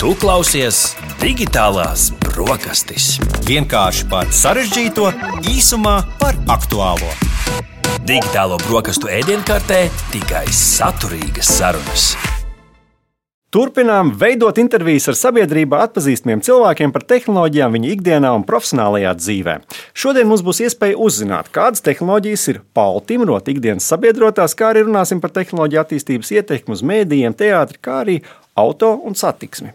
Tu klausies Digitālās brokastis. Vienkārši par sarežģīto, īsumā par aktuālo. Digitālo brokastu ēdienkartē tikai saturīgas sarunas. Turpinām veidot intervijas ar sabiedrībā atpazīstamiem cilvēkiem par tehnoloģijām viņa ikdienā un profesionālajā dzīvē. Šodien mums būs iespēja uzzināt, kādas tehnoloģijas ir Paula Timrota ikdienas sabiedrotās, kā arī runāsim par tehnoloģiju attīstības ietekmi uz mēdījiem, teātri, kā arī auto un satiksmi.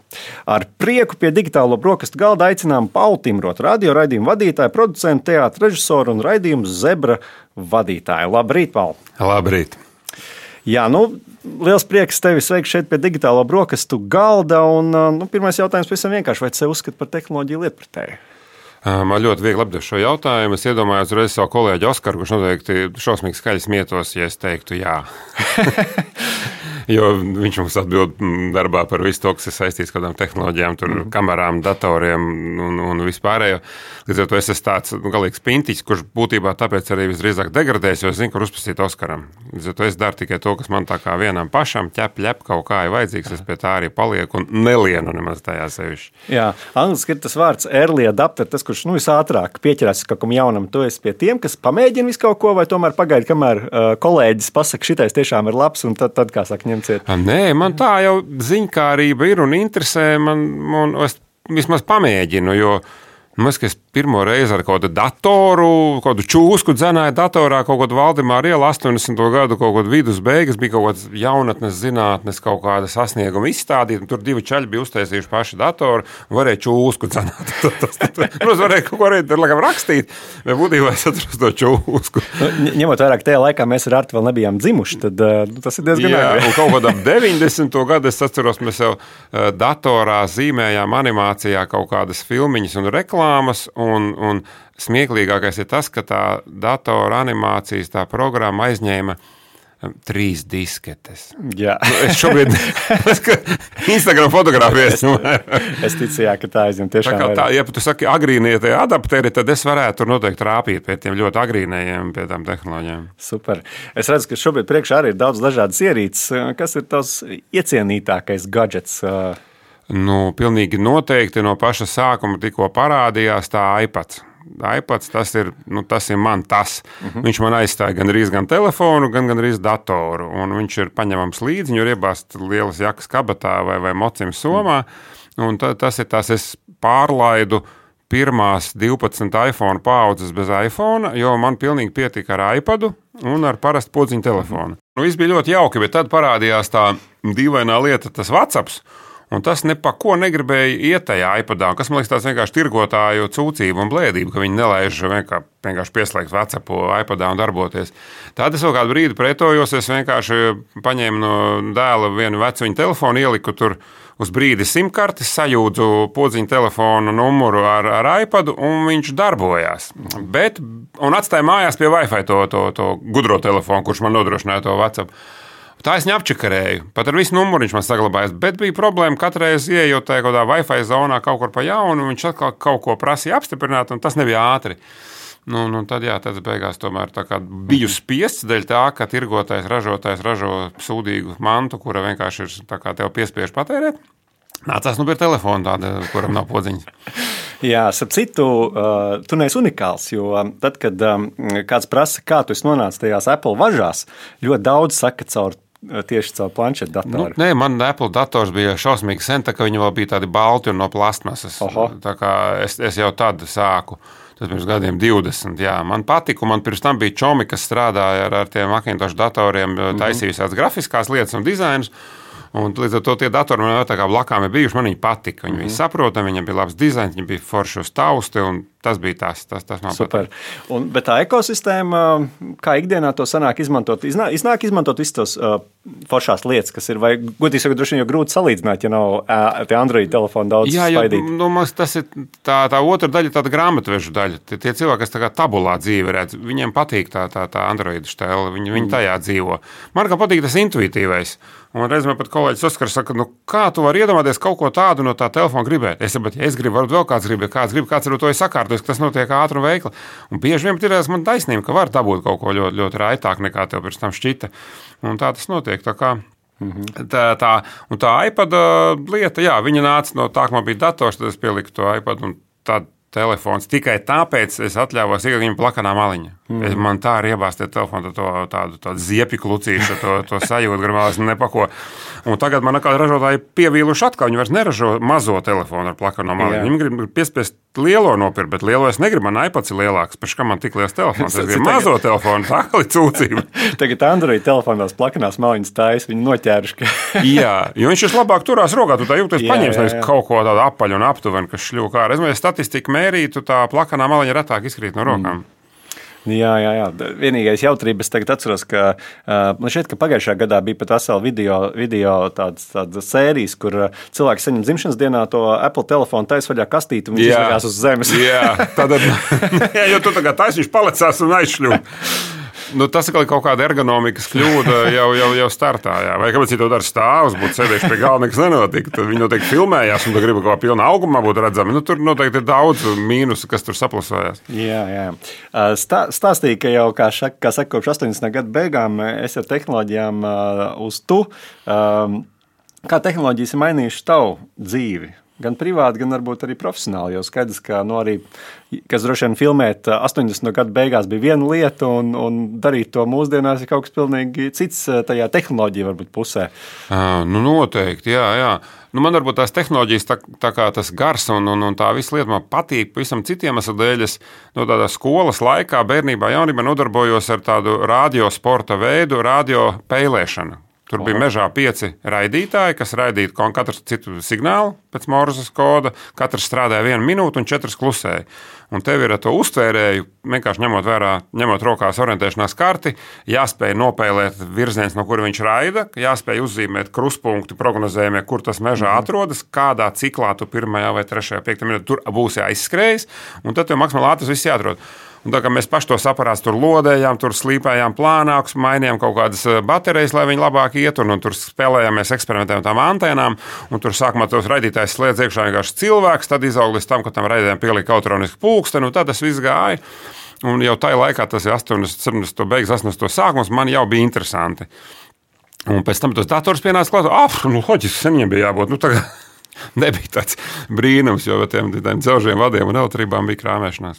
Ar prieku pie digitālo brokastu galda aicinām Paulu Timrotu, radio raidījumu vadītāju, producentu, teātra režisoru un raidījumu Zebra vadītāju. Labrīt, Paula! Labrīt! Jā, liels prieks tevi sveikt šeit pie digitālo brokastu galda. Pirmais jautājums pavisam vienkārši, vai tu sevi uzskati par tehnoloģiju lietpratēju? Man ļoti viegli apdot šo jautājumu. Es iedomājos reiz savu kolēģi Oskaru, kurš noteikti šausmīgi skaļi smietos, ja es teiktu jā. Jo viņš mums atbild darbā par visu to, kas ir saistīts ar kādām tehnoloģijām, kamerām, datoriem un vispārējo. Līdz ar to es esmu tāds galīgs pintiķis, kurš būtībā tāpēc arī visdrīzāk degradēs, jo es zinu, kur uzprasīt Oskaram. Līdz ar to es daru tikai to, kas man tā kā vienam pašam ķep kaut kā ir vajadzīgs, es pie tā arī palieku un nelienu nemaz tajā sevišķi. Jā, angliski ir tas vārds early adapter, tas, kurš visātrāk pieķerās kaut kam jaunam. Tu esi pie tiem, kas pamēģina visu kaut ko, vai tomēr pagaidi, kamēr kolēģis pasaka, šitais tiešām ir labs, un tad kā saka, ņemciet. Nē, man tā jau ziņkārība ir un interesē, un es vismaz pamēģinu, jo es pirmo reizi ar kādu datoru, kādu čūsku dzenāju datorā, kaut kādu Valdemāra ielu 80. gadu, kaut kādu vidus beigas, bija kaut kāds jaunatnes zinātnes, kaut kāda sasnieguma izstādīt, un tur divi čaļi bija uztaisījuši paši datoru, un varēja čūsku dzenāt. Protams, varēja kaut ko arī rakstīt, bet būtībā es atrast to čūsku. Ņemot vairāk tajā laikā, mēs ar Artu vēl nebijām dzimuši, tad tas ir diezgan āgri. Un kaut kādā 90. gadu es atceros, mēs jau datorā zīmējām animācijā kaut kādas filmiņas un reklāmas, un smieklīgākais ir tas, ka tā datora animācijas, tā programma aizņēma 3 disketes. Jā. Es šobrīd Instagram fotografēs. Es ticu, jā, ka tā aizņem tiešām tā, ja tu saki agrīnie tie adapteri, tad es varētu tur noteikti rāpīt pie tiem ļoti agrīnējiem, pie tām tehnoloģijām. Super. Es redzu, ka šobrīd priekšā arī ir daudz dažādas ierīces. Kas ir tavs iecienītākais gadžets? Pilnīgi noteikti no paša sākuma tikko parādījās tā iPads. iPads, tas ir man tas. Viņš man aizstāja gan telefonu, gan datoru. Un viņš ir paņemams līdzi, viņu ir iebāzt lielas jakas kabatā vai mocim somā. Un tas ir tas, es pārlaidu pirmās 12 iPhone paaudzes bez iPhone, jo man pilnīgi pietika ar iPadu un ar parastu podziņu telefonu. Viss bija ļoti jauki, bet tad parādījās tā dīvainā lieta, tas WhatsApps. Un tas ne pa ko negribēja iet tajā iPadā, kas man liekas tāds vienkārši tirgotāju cūcību un blēdību, ka viņi nelaiž vienkārši pieslēgt WhatsAppu iPadā un darboties. Tad es vēl kādu brīdi pretojos, es vienkārši paņēmu no dēla vienu vecu viņa telefonu, ieliku tur uz brīdi simkarti, sajūdzu podziņu telefonu numuru ar iPadu un viņš darbojās. Un atstāja mājās pie Wi-Fi to gudro telefonu, kurš man nodrošināja to WhatsApp. Tā es neapčakarēju. Pat ar visu numuru viņš man saglabājās, bet bija problēma katreiz ieejot tajā kādā Wi-Fi zonā kaut kur pa jaunu, viņš atkal kaut ko prasīja apstiprināt, un tas nebija ātri. Tad beigās tomēr tā kā biju spiests dēļ tā, ka tirgotājs, ražotājs ražo sūdīgu mantu, kura vienkārši ir tā kā tev piespiež patērēt. Nācās pie telefona tāda, kuram nav podziņas. Jā, ap citu, tu neesi unikāls, jo tad, kad kāds prasa, kā tu esi nonācis tajās Apple važās, ļoti daudz saka tieši caur planšetu datoru. Nē, man Apple dators bija šausmīgi sen, tā ka viņi vēl bija tādi balti un no plastmasas. Tā kā es jau tad sāku. Tas pirms gadiem 20, jā. Man patika, un man pirms tam bija čomi, kas strādāja ar tiem Macintosh datoriem, taisīja visādas grafiskās lietas un dizainus. Un līdz ar to tie datori man tā kā blakām ir bijuši, man viņi patika. Viņi bija saprotami, viņiem bija labs dizains, viņi bija forši uz tausti, un tas bija tas man super. Bet tā ekosistēma, kā ikdienā to sanāk izmantot, iznāk izmantot visus tos foršās lietas, kas ir, vai godīgi sakot, droši vien jau grūti salīdzināt, ja nav tie Android telefoni daudz spaidīti. Jā, tas ir tā otra daļa, tāda grāmatvežu daļa. Tie cilvēki, kas tā kā tabulā dzīve redz, viņiem patīk tā Android štēle, viņi tajā dzīvo. Man kā patīk tas intuitīvais. Un reiz man pat kolēģis Oskars saka, kā tu vari iedomāties kaut ko tādu no tā telefona gribēt? Es gribu, varbūt vēl kāds grib, kāds ar to ir sakārtojis, ka tas notiek ātri un veikli. Un bieži vien ir man taisnība, ka var dabūt kaut ko ļoti, ļoti raitāk nekā tev pirms tam šķita. Un tā tas notiek. Tā kā Tā iPad lieta, jā, viņa nāca no tā, ka man bija dators, tad es pieliku to iPad un tad telefons. Tikai tāpēc es atļāvos iegūt viņam plakanā maliņa. Man tā ir iebāzt telefonu, tādu ziepju klucīšu, to sajūtu, gribēs nepako. Un tagad man kā ražotāji pievīluši atkal, viņi vairs neražo mazo telefonu ar plakano maliņu. Viņi grib piespiest lielo nopirkt, bet lielo es negribu, man iPads ir lielāks. Pēc kā man tik liels telefons? Es gribu mazo telefonu, tā kā cūcība. Tagad Android telefonās plakanās maliņas taisa, viņi noķēruši. Jā, jo viņš vislabāk turās rokā, tu tā jūties paņems, nevis kaut ko tādu apaļu un aptuveni, kas šļūk ārā. Es statistiku mērītu, tā plakanā maliņa retāk izkrīt no rokām. Jā. Vienīgais jautrības es tagad atceros, ka man šķiet, ka pagājušajā gadā bija pat vesela video tādas sērijas, kur cilvēki saņem dzimšanas dienā to Apple telefonu taisa vaļā kastīti un viņš izvagās uz zemes. Jā, jo tu tagad taisi, viņš palicās un aizšļūp. Tas ir kaut kāda ergonomikas kļūda jau startā. Jā. Vai kāpēc viņi to dara stāvus, būtu sēdējuši pie galda, nekas nenotika. Tad viņi noteikti filmējās un gribu kaut kā pilnā augumā būt redzami. Tur noteikti ir daudz mīnusu, kas tur saplasojās. Jā. Stāstīja, ka jau, kā saka, kopš 80. gadu beigām es ar tehnoloģijām uz tu. Kā tehnoloģijas ir mainījušas tavu dzīvi? Gan privāti, gan varbūt arī profesionāli. Jo skaidrs, ka arī, kas droši vien filmēt 80. gadu beigās bija viena lieta, un darīt to mūsdienās ir kaut kas pilnīgi cits tajā tehnoloģija varbūt pusē. Noteikti, jā. Man varbūt tās tehnoloģijas, tā kā tas gars un tā visa lieta man patīk pavisam citiem iemeslu dēļ. Es no tādā skolas laikā, bērnībā, jaunībā nodarbojos ar tādu radiosporta veidu, radio peilēšanu. Tur bija mežā 5 raidītāji, kas raidīja katru citu signālu pēc Morzes koda. Katrs strādāja 1 minūti un 4 klusēja. Un tev ir ar to uztvērēju, vienkārši ņemot rokās orientēšanās karti, jāspēj nopēlēt virziens, no kura viņš raida, jāspēj uzzīmēt kruspunkti prognozējumie, kur tas mežā atrodas, kādā ciklā tu 1. vai 3. 5. minūtē tur būs jāizskrējis, un tad tev maksimāli ātrs viss jāatrod. Un tā kā mēs paši tos aparātus tur lodējām, tur slīpējām plānākus, mainījām kaut kādas baterijas, lai viņi labāk iet, un tur spēlējāmies, eksperimentējām tām antēnām, un tur sākumā tos raidītājs slēdz iekšā vienkārši cilvēks, tad izaug līdz tam, ka tam raidījām pielika elektronisku pulksteni, un tad tas viss gāja. Un jau tajā laikā, tas ir 70. beigas, 80. sākums, man jau bija interesanti. Un pēc tam tos dators pienāca klāt, loģiski, sen viņiem bija jābūt, tagad nebija tāds brīnums, jo tiem dzelžiem vadiem un elektrībām bija krāmēšanās.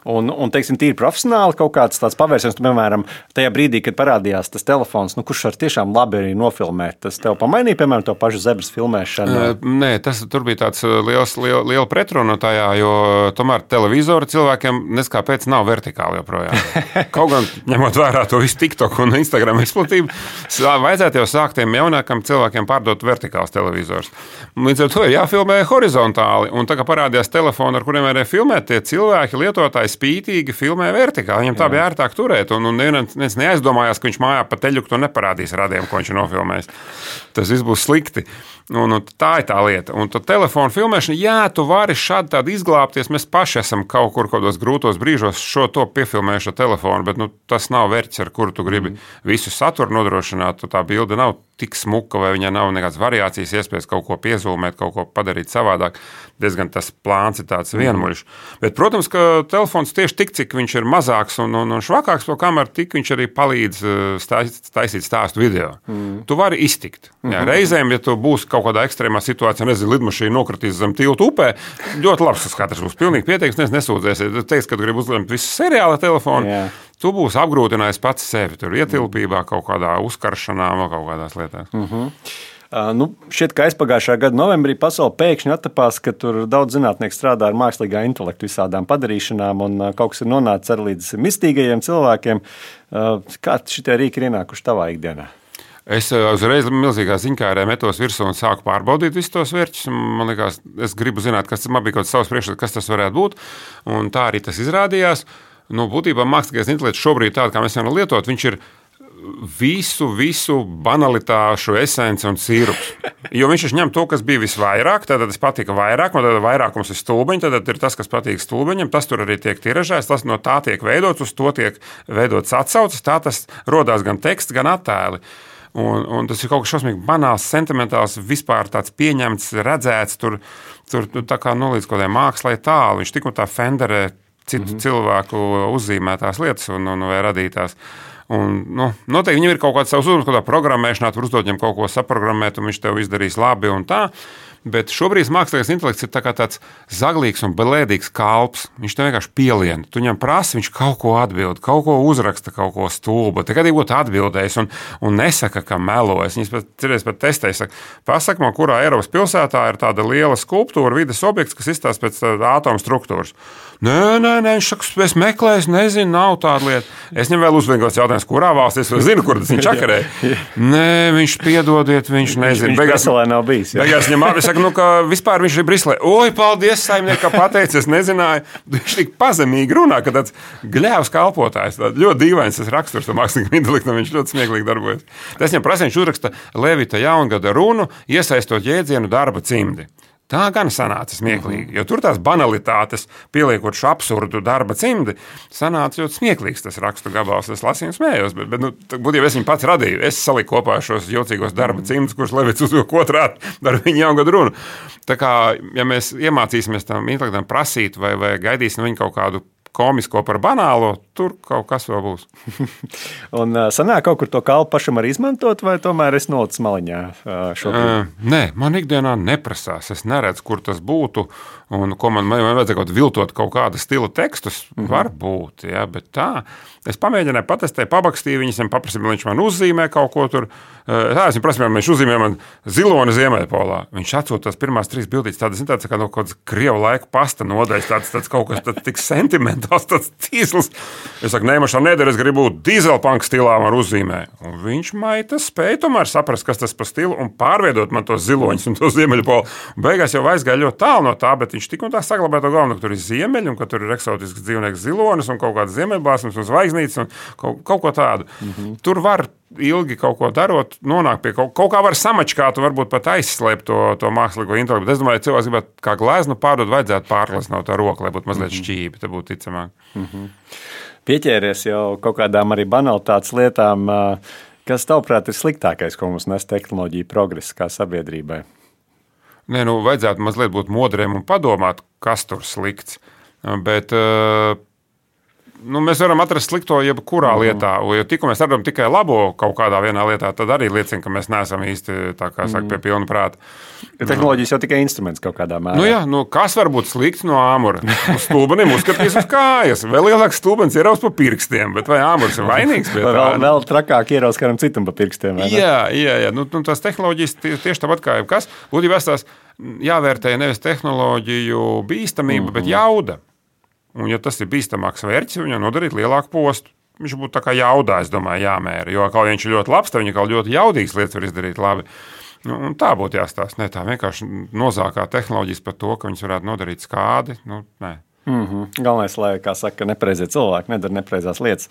Un teiksim, tīri profesionāli kaut kāds tāds pavērsiens, piemēram, tajā brīdī, kad parādījās tas telefons, kurš var tiešām labi arī nofilmēt, tas tev pamainīja, piemēram, to pašu zebras filmēšanu? Nē, tur bija tāds liela pretruna tajā, jo tomēr televizori cilvēkiem neskāpēc nav vertikāli joprojām. Kaut gan, ņemot vērā to visu TikTok un Instagram izplatību, vajadzētu jau sākt tiem jaunākam cilvēkiem pārdot vertikāls televizors. Līdz ar to ir jāfilmē horizontāli, un tā kā parādījās telefoni, ar kuriem varēja filmēt, tie cilvēki, lietotāji spītīgi filmē vertikāli. Viņam tā bija ērtāk turēt, un neviens neaizdomājās, ka viņš mājā pa teļuku to neparādīs radiem, ko viņš ir nofilmējis. Tas viss būs slikti. Un tā ir tā lieta. Un tā telefona filmēšana, jā, tu vari šādi tādi izglābties. Mēs paši esam kaut kur kādos grūtos brīžos šo to piefilmējuši ar telefonu, bet tas nav vērts, ar kuru tu gribi visu saturu nodrošināt. Tā bilde nav tik smuka, vai viņai nav nekādas variācijas, iespējas kaut ko piezūmēt, kaut ko padarīt savādāk. Diezgan tas plāns ir tāds vienmuļš. Bet, protams, ka telefons tieši tik, cik viņš ir mazāks un švakāks, to kamēr tik viņš arī palīdz taisīt stāstu video. Tu vari iztikt. Jā, reizēm, ja tu būsi kaut kādā ekstrēmā situācijā, nezinu, lidmašīna nokritīs zem tiltu upē, ļoti labs tas katrs būs pilnīgi pieteiks, nesūdzēsies. Tu teiks, ka tu gribi uzlemt visu seriāla telefonu, tu būsi apgrūtinājis pats sevi tur ietilpībā, kaut kādā uzkaršanā vai kaut kādās lietās. Šķiet, ka aizpagājušā gada novembrī pasaule pēkšņi attapās, ka tur daudz zinātnieku strādā ar mākslīgā intelektu visādām padarīšanām, un kaut kas ir nonācis arī līdz mistīgajiem cilvēkiem. Kā šitie rīki ir ienākuši tavā ikdienā? Es uzreiz milzīgā ziņkārē metos virsū un sāku pārbaudīt visus tos vērķus. Man liekas, es gribu zināt, man bija kaut kāds savs priekšstats, kas tas varētu būt, un tā arī tas izrādījās. Būtībā mākslīgais intelekts šobrīd tādu, kā mēs varam lietot, viņš ir visu banalitāšu esence un sīrups. Jo viņš ņem to, kas bija visvairāk, tad tas patika vairāk, un tad vairākums ir stulbeņi, tad ir tas, kas patīk stulbeņam, tas tur arī tiek tiražēts, tas no tā tiek veidots, uz to tiek veidots atsauces, tā tas rodās gan teksts, gan attēli. Un tas ir kaut kas šausmīgi banāls, sentimentāls, vispār tāds pieņemts, redzēts, tur tā kā līdz kaut kādai mākslai tālu. Viņš tik un tā fenderē citu cilvēku uzzīmētās lietas vai radītās. Un, noteikti viņam ir kaut kāds savs uzdevums, kādā programmēšanā, tur uzdot viņam kaut ko saprogrammēt, un viņš tev izdarīs labi un tā. Bet šobrīd mākslīgais intelekts ir tāds zaglīgs un belēdīgs kalps. Viņš tev vienkārši pielien. Tu viņam prasi, viņš kaut ko atbild, kaut ko uzraksta, kaut ko stulbu. Tad, kad viņš būtu atbildējis un nesaka, ka melojas, viņš pat testēja. Pasaka man, kurā Eiropas pilsētā ir tāda liela skulptūra, vides objekts, kas izstāsta pēc ātoma struktūras. Nē, viņš saka, es meklēju, nezinu, nav tāda lieta. Es viņam vēl uzvienot jautājumu, kurā valstī es zinu, kur tas viņš čakarē. Nē, viņš piedodiet, viņš nezina. Viņš Briselē nav bijis. Beigās viņam saka, ka vispār viņš ir Briselē. Oi, paldies, saimniek, ka pateicis, es nezināju. Viņš tik pazemīgi runā, ka tāds gļēvs kalpotājs. Ļoti dīvains tas raksturs tam mākslīgam intelektam, viņš ļoti smieklīgi darbojas. Tas viņam prasa, viņš uzraksta Levita jaungada runu, iesaistot jēdzienu darba cimdi. Tā gan sanāca smieklīgi, jo tur tās banalitātes, pieliekot šo absurdu darba cimdi, sanāca ļoti smieklīgs tas rakstu gabals. Es lasīju un smējos, bet būtībā es viņu pats radīju. Es saliku kopā šos jocīgos darba cimdus, kurus Levits uzvilka otrādi ar viņa jaungadu runu. Tā kā, ja mēs iemācīsimies tam intelektam prasīt vai gaidīsim viņu kaut kādu komisko par banālo, tur kaut kas vēl būs. Un sanāk kaut kur to kalpu pašam arī izmantot, vai tomēr es nolicu maliņā šobrīd? Nē, man ikdienā neprasās. Es neredzu, kur tas būtu, un ko man vajadzēja viltot kaut kāda stila tekstus. Varbūt, ja, bet tā. Es pamēģināju patestēt, pabakstīju viņus, paprasīju, lai viņš man uzzīmē kaut ko tur. Es viņam prasīju, viņš uzzīmē man ziloni Ziemeļpolā. Viņš atsūta tās pirmās 3 bildītes, tādas kā no kaut kādas Krievu laika pasta nodaļas, tāds kaut kas tāds tik sentimentāls, tāds tīsls. Es saku, nē, man šā nedara, es gribu dīzelpanka stilā man uzzīmē. Un viņš maita spēja tomēr saprast, kas tas pa stilu un pārveidot man tos ziloņus un to Ziemeļpolu. Beigās jau aizgāja ļoti tālu no tā, bet viņš tik un tā saglabāja to galveno, ka tur ir ziemeļi un ka tur ir eksotisks dzīvnieks zilonis un kaut kāds ziemeļbāsums un zvaigznītes un kaut ko tādu. Tur var ilgi kaut ko darot, nonākt pie kaut kā var samačkāt un varbūt pat aizslēpt to mākslīgo intelektu. Bet es domāju, cilvēks gribētu kā gleznu pārdot, vajadzētu pārgleznot tā roku, lai būtu mazliet šķībi, tad būtu ticamāk. Pieķēries jau kaut kādām arī banalitātes lietām. Kas tavuprāt ir sliktākais, ko mums nes tehnoloģija progress kā sabiedrībai? Nē, vajadzētu mazliet būt modriem un padomāt, kas tur slikts. Bet mēs varam atrast slikto jebkurā lietā, jo tikko mēs redzam tikai labo kaut kādā vienā lietā, tad arī liecina, ka mēs neesam īsti, tā kā saka, pie pilna prāta. Tehnoloģijas jau tikai instruments kaut kādā mērā. Kas var būt slikts no āmura? Stulbenim uzskatīs uz kājas. Vēl lielāks stulbens ieraus pa pirkstiem, bet vai āmurs ir vainīgs pie tā? Vēl trakāk ieraus kādam citam pa pirkstiem. Jā. Tās tehnoloģijas tieši tāpat kā jebkas. Būtībā tās jāvērtē nevis tehnoloģiju bīstamība, bet jauda. Un, ja tas ir bīstamāks vērķis, viņam nodarīt lielāku postu. Viņš būtu tā kā jaudā, es domāju, jāmēra. Jo, kā viņš ir ļoti labs, tad viņa kā ļoti jaudīgas lietas var izdarīt labi. Un tā būtu jāstāsta. Ne tā vienkārši nozākā tehnoloģijas par to, ka viņas varētu nodarīt skādi. Nē. Galvenais, lai, kā saka, nepareizie cilvēki nedara nepareizās lietas.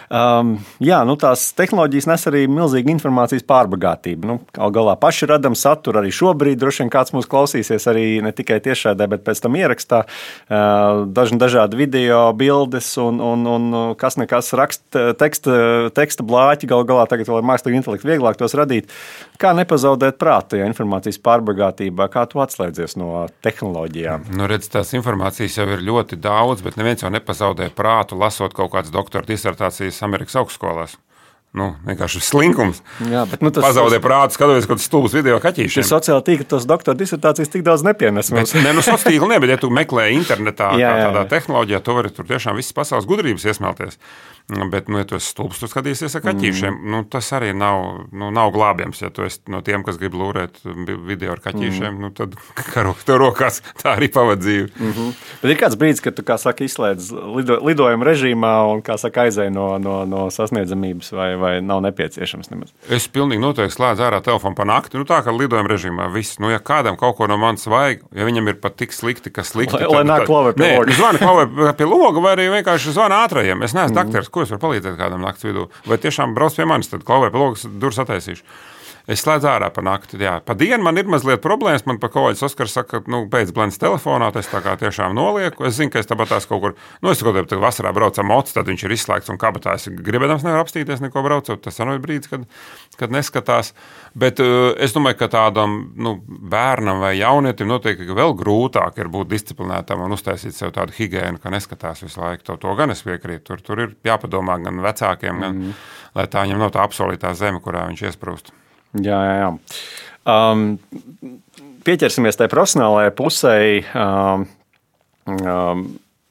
Tās tehnoloģijas nes arī milzīgu informācijas pārbagātību. Galā paši radam saturu arī šobrīd. Droši vien kāds mūs klausīsies arī ne tikai tiešraidē, bet pēc tam ierakstā. Dažādi video, bildes un kas nekas raksta teksta blāķi. Galā tagad vēl ar mākslīgu intelektu vieglāk tos radīt. Kā nepazaudēt prātu, ja informācijas pārbagātībā? Kā tu atslēdzies no tehnoloģijām? Tās informācijas jau ir ļoti daudz, bet neviens jau nepazaudē prātu, lasot kaut kādas doktora disertācijas Amerikas augstskolās. Vienkārši slinkums. Jā, bet, pazaudē prātu, skatoties kaut kādus stulbus video kaķīšiem. Sociāli tīkli tos doktora disertācijas tik daudz nepienes. Sociāli tīkli ne, bet ja tu meklē internetā tādā tehnoloģijā, tu vari tur tiešām visas pasaules gudrības iesmelties. Bet, ja tu esi stulbs, tu skatīsies ar kaķīšiem. Tas arī nav glābjams. Ja tu esi no tiem, kas grib lūrēt video ar kaķīšiem, tad tev rokās tā arī pavad dzīvi. Bet ir kāds brīdis, kad tu, kā saka, izslēdz lidojuma režīmā un, kā saka, aizēj no sasniedzamības vai nav nepieciešams nemaz? Es pilnīgi noteikti slēdzu ārā telefonu pa nakti. Tā kā lidojuma režīmā viss. Ja kādam kaut ko no manis vajag, ja viņam ir pat tik slikti, ka slikti. Lai nāk klavē pie loga. Zvani klavē pie loga vai arī vienkārši zvani ātrajiem. Es neesmu dakteris. Ko es varu palīdzēt kādam nakts vidū? Vai tiešām brauc pie manis, tad klavē pie logas durvis attaisīšu. Es slēdzu ārā pa nakti. Jā. Pa dienu man ir mazliet problēmas. Man pa kolēģis Oskars saka, ka beidz blends telefonā. Es tā kā tiešām nolieku. Es zinu, ka es tāpat tās kaut kur, es kaut kādā vasarā braucu ar mocu, tad viņš ir izslēgts un kabatā. Es gribēdams nevar apstīties neko braucot. Tas arī ir brīdis, kad neskatās. Bet es domāju, ka tādam bērnam vai jaunietim noteikti vēl grūtāk ir būt disciplinētam un uztaisīt sev tādu higiēnu, ka neskatās visu laiku. To gan es piekrītu. Tur ir jāpadomā gan vecākiem, gan, lai tā viņam nav tā apsolītā zeme, kurā viņš iesprūst. Jā. Pieķersimies tai profesionālajai pusei.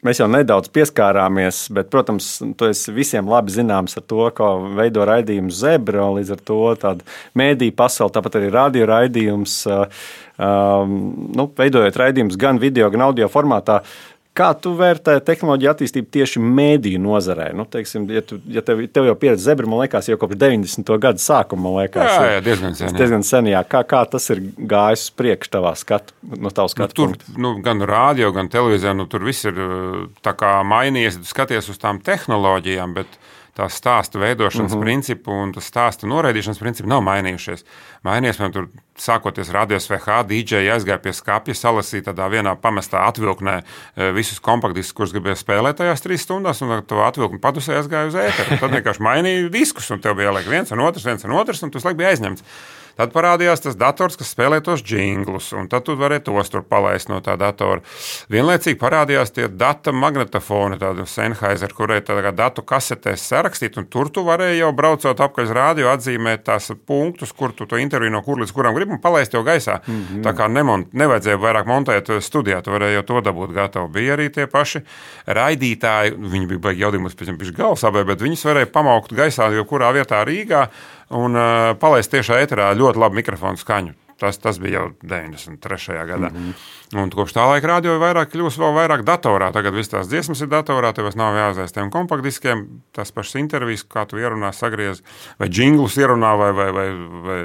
Mēs jau nedaudz pieskārāmies, bet, protams, tu esi visiem labi zināms ar to, kā veido raidījumu Zebra, līdz ar to tādu mēdīju pasauli, tāpat arī radio raidījums, veidojot raidījumus gan video, gan audio formātā. Kā tu vērtē tehnoloģiju attīstību tieši mēdīju nozarē? Teiksim, ja tev jau pieredze Zebra, man liekas, jau kopš 90. gada sākuma, man liekas. Jā, diezgan sen. Kā tas ir gājis priekš tavā skatu punkta? Gan rādio, gan televīzijā, tur viss ir tā kā mainījies, tu skaties uz tām tehnoloģijām, bet tās stāstu veidošanas principu un tas stāstu noraidīšanas principu nav mainījušies. Mainījies, man tur sākoties radios VH, DJ aizgāja pie skapja, salasīja tādā vienā pamestā atvilknē visus kompaktdiskus, kurus gribēja spēlēt tajās 3 stundās, un to atvilkni padusē aizgāja uz ēteru. Tad vienkārši mainīja diskus, un tev bija jāliek viens un otrs, un tu laiku bija aizņemts. Tad parādījās tas dators, kas spēlē tos džinglus, un tad tu varēji tos tur palaist no tā datora. Vienlaicīgi parādījās tie data magnetofoni, tādi Sennheiser, kurai tā datu kasetēs sarakstīt, un tur tu varēji jau braucot apkaļ uz rādio atzīmēt tās punktus, kur tu to interviju no kur līdz kuram gribi, un palaist jau gaisā. Tā kā nevajadzēja vairāk montēt studijā, tu varēji jau to dabūt gatavu. Bija arī tie paši raidītāji, viņi bija baigi jaudījumus pēc tam galvasābē, bet viņus varēja pamaukt gaisā jau kurā vietā Rīgā, un palaist tiešā ēterā ļoti labu mikrofonu skaņu. Tas bija jau 93. gadā. Un kopš tā laika rādio kļūst vēl vairāk datorā. Tagad viss tās dziesmas ir datorā, tev nav jāaizies tiem kompaktdiskiem, tās pašas intervijas, kā tu ierunā, sagriez, vai džinglus ierunā, vai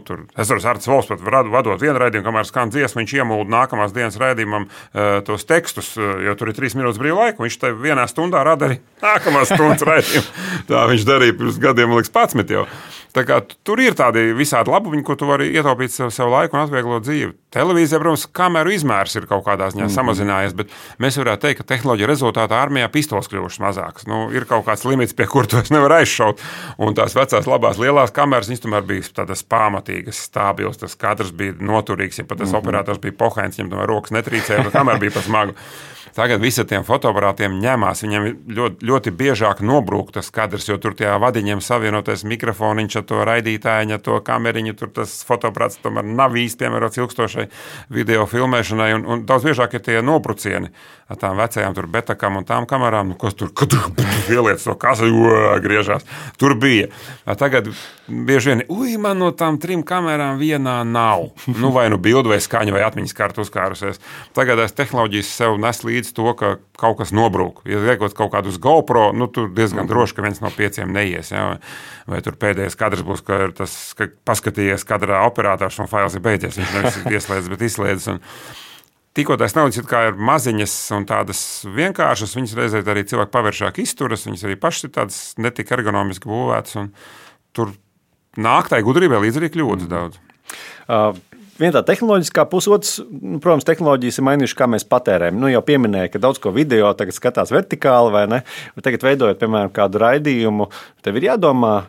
tur. Es varu Artis Volfs pat vadot vienu raidījumu, kamēr skan dziesma, viņš iemūda nākamās dienas raidījumam tos tekstus, jo tur ir 3 minūtes brīva laika, viņš te vienā stundā rada arī nākamās stundas raidījumu. Tā viņš darīja pirms gadiem, liekas, 11 jau. Tā kā tur ir tādi visādi labumiņi, ko tu vari ietaupīt sev laiku un atvieglot dzīvi. Televīzija, protams, kameru izmērs ir kaut kādā ziņā samazinājies, bet mēs varētu teikt, ka tehnoloģija rezultātā armijā pistoles kļuvušas mazākas. Ir kaut kāds limits, pie kur tu nevar aizšaut. Un tās vecās labās lielās kameras, viņas tomēr bija tādas pamatīgas, stabils, tas kadrs bija noturīgs, ja pat tas operators bija pohains, viņam tomēr rokas netrīcēja, bet kamera bija pa smagu. Tagad visi tiem fotoaparātiem ņemās, viņiem ļoti, ļoti biežāk nobrūk tas kadrs, jo tur tajā vadiņiem savienotais mikrofoniņš ar to raidītājiņu, ar to kameriņu, tur tas fotoaparāts tomēr nav īsti piemērots ilgstošai video filmēšanai, un daudz biežāk ir tie nobrucieni ar tām vecajām tur betakām un tām kamerām, kas tur ieliec to kasu, griežās. Tur bija. Tagad bieži vien, man no tām 3 kamerām vienā nav. Vai bildu vai skaņu vai atmiņas kartu uzkārusies. Tagad tās tehnoloģijas sev nes līdz to, ka kaut kas nobrūk. Ja liekot kaut kādu uz GoPro, tur diezgan droši, ka viens no 5 neies. Ja? Vai tur pēdējais kadrs būs, ka paskatījies kadrā operators un fails ir beidzies. Viņš nevis ieslēdz, bet izslēdz. Tikko tās naudas ir maziņas un tādas vienkāršas, viņas reizē arī cilvēki pavēršāk izturas, viņas arī pašas ir tādas netik ergonomiski būvētas, un tur nāk tai gudrībai līdz arī kļūdas daudz. Viena tā tehnoloģiskā puse, protams, tehnoloģijas ir mainījušas, kā mēs patērējam. Jau pieminēja, ka daudz ko video tagad skatās vertikāli, vai ne? Bet tagad veidojot, piemēram, kādu raidījumu, tev ir jādomā,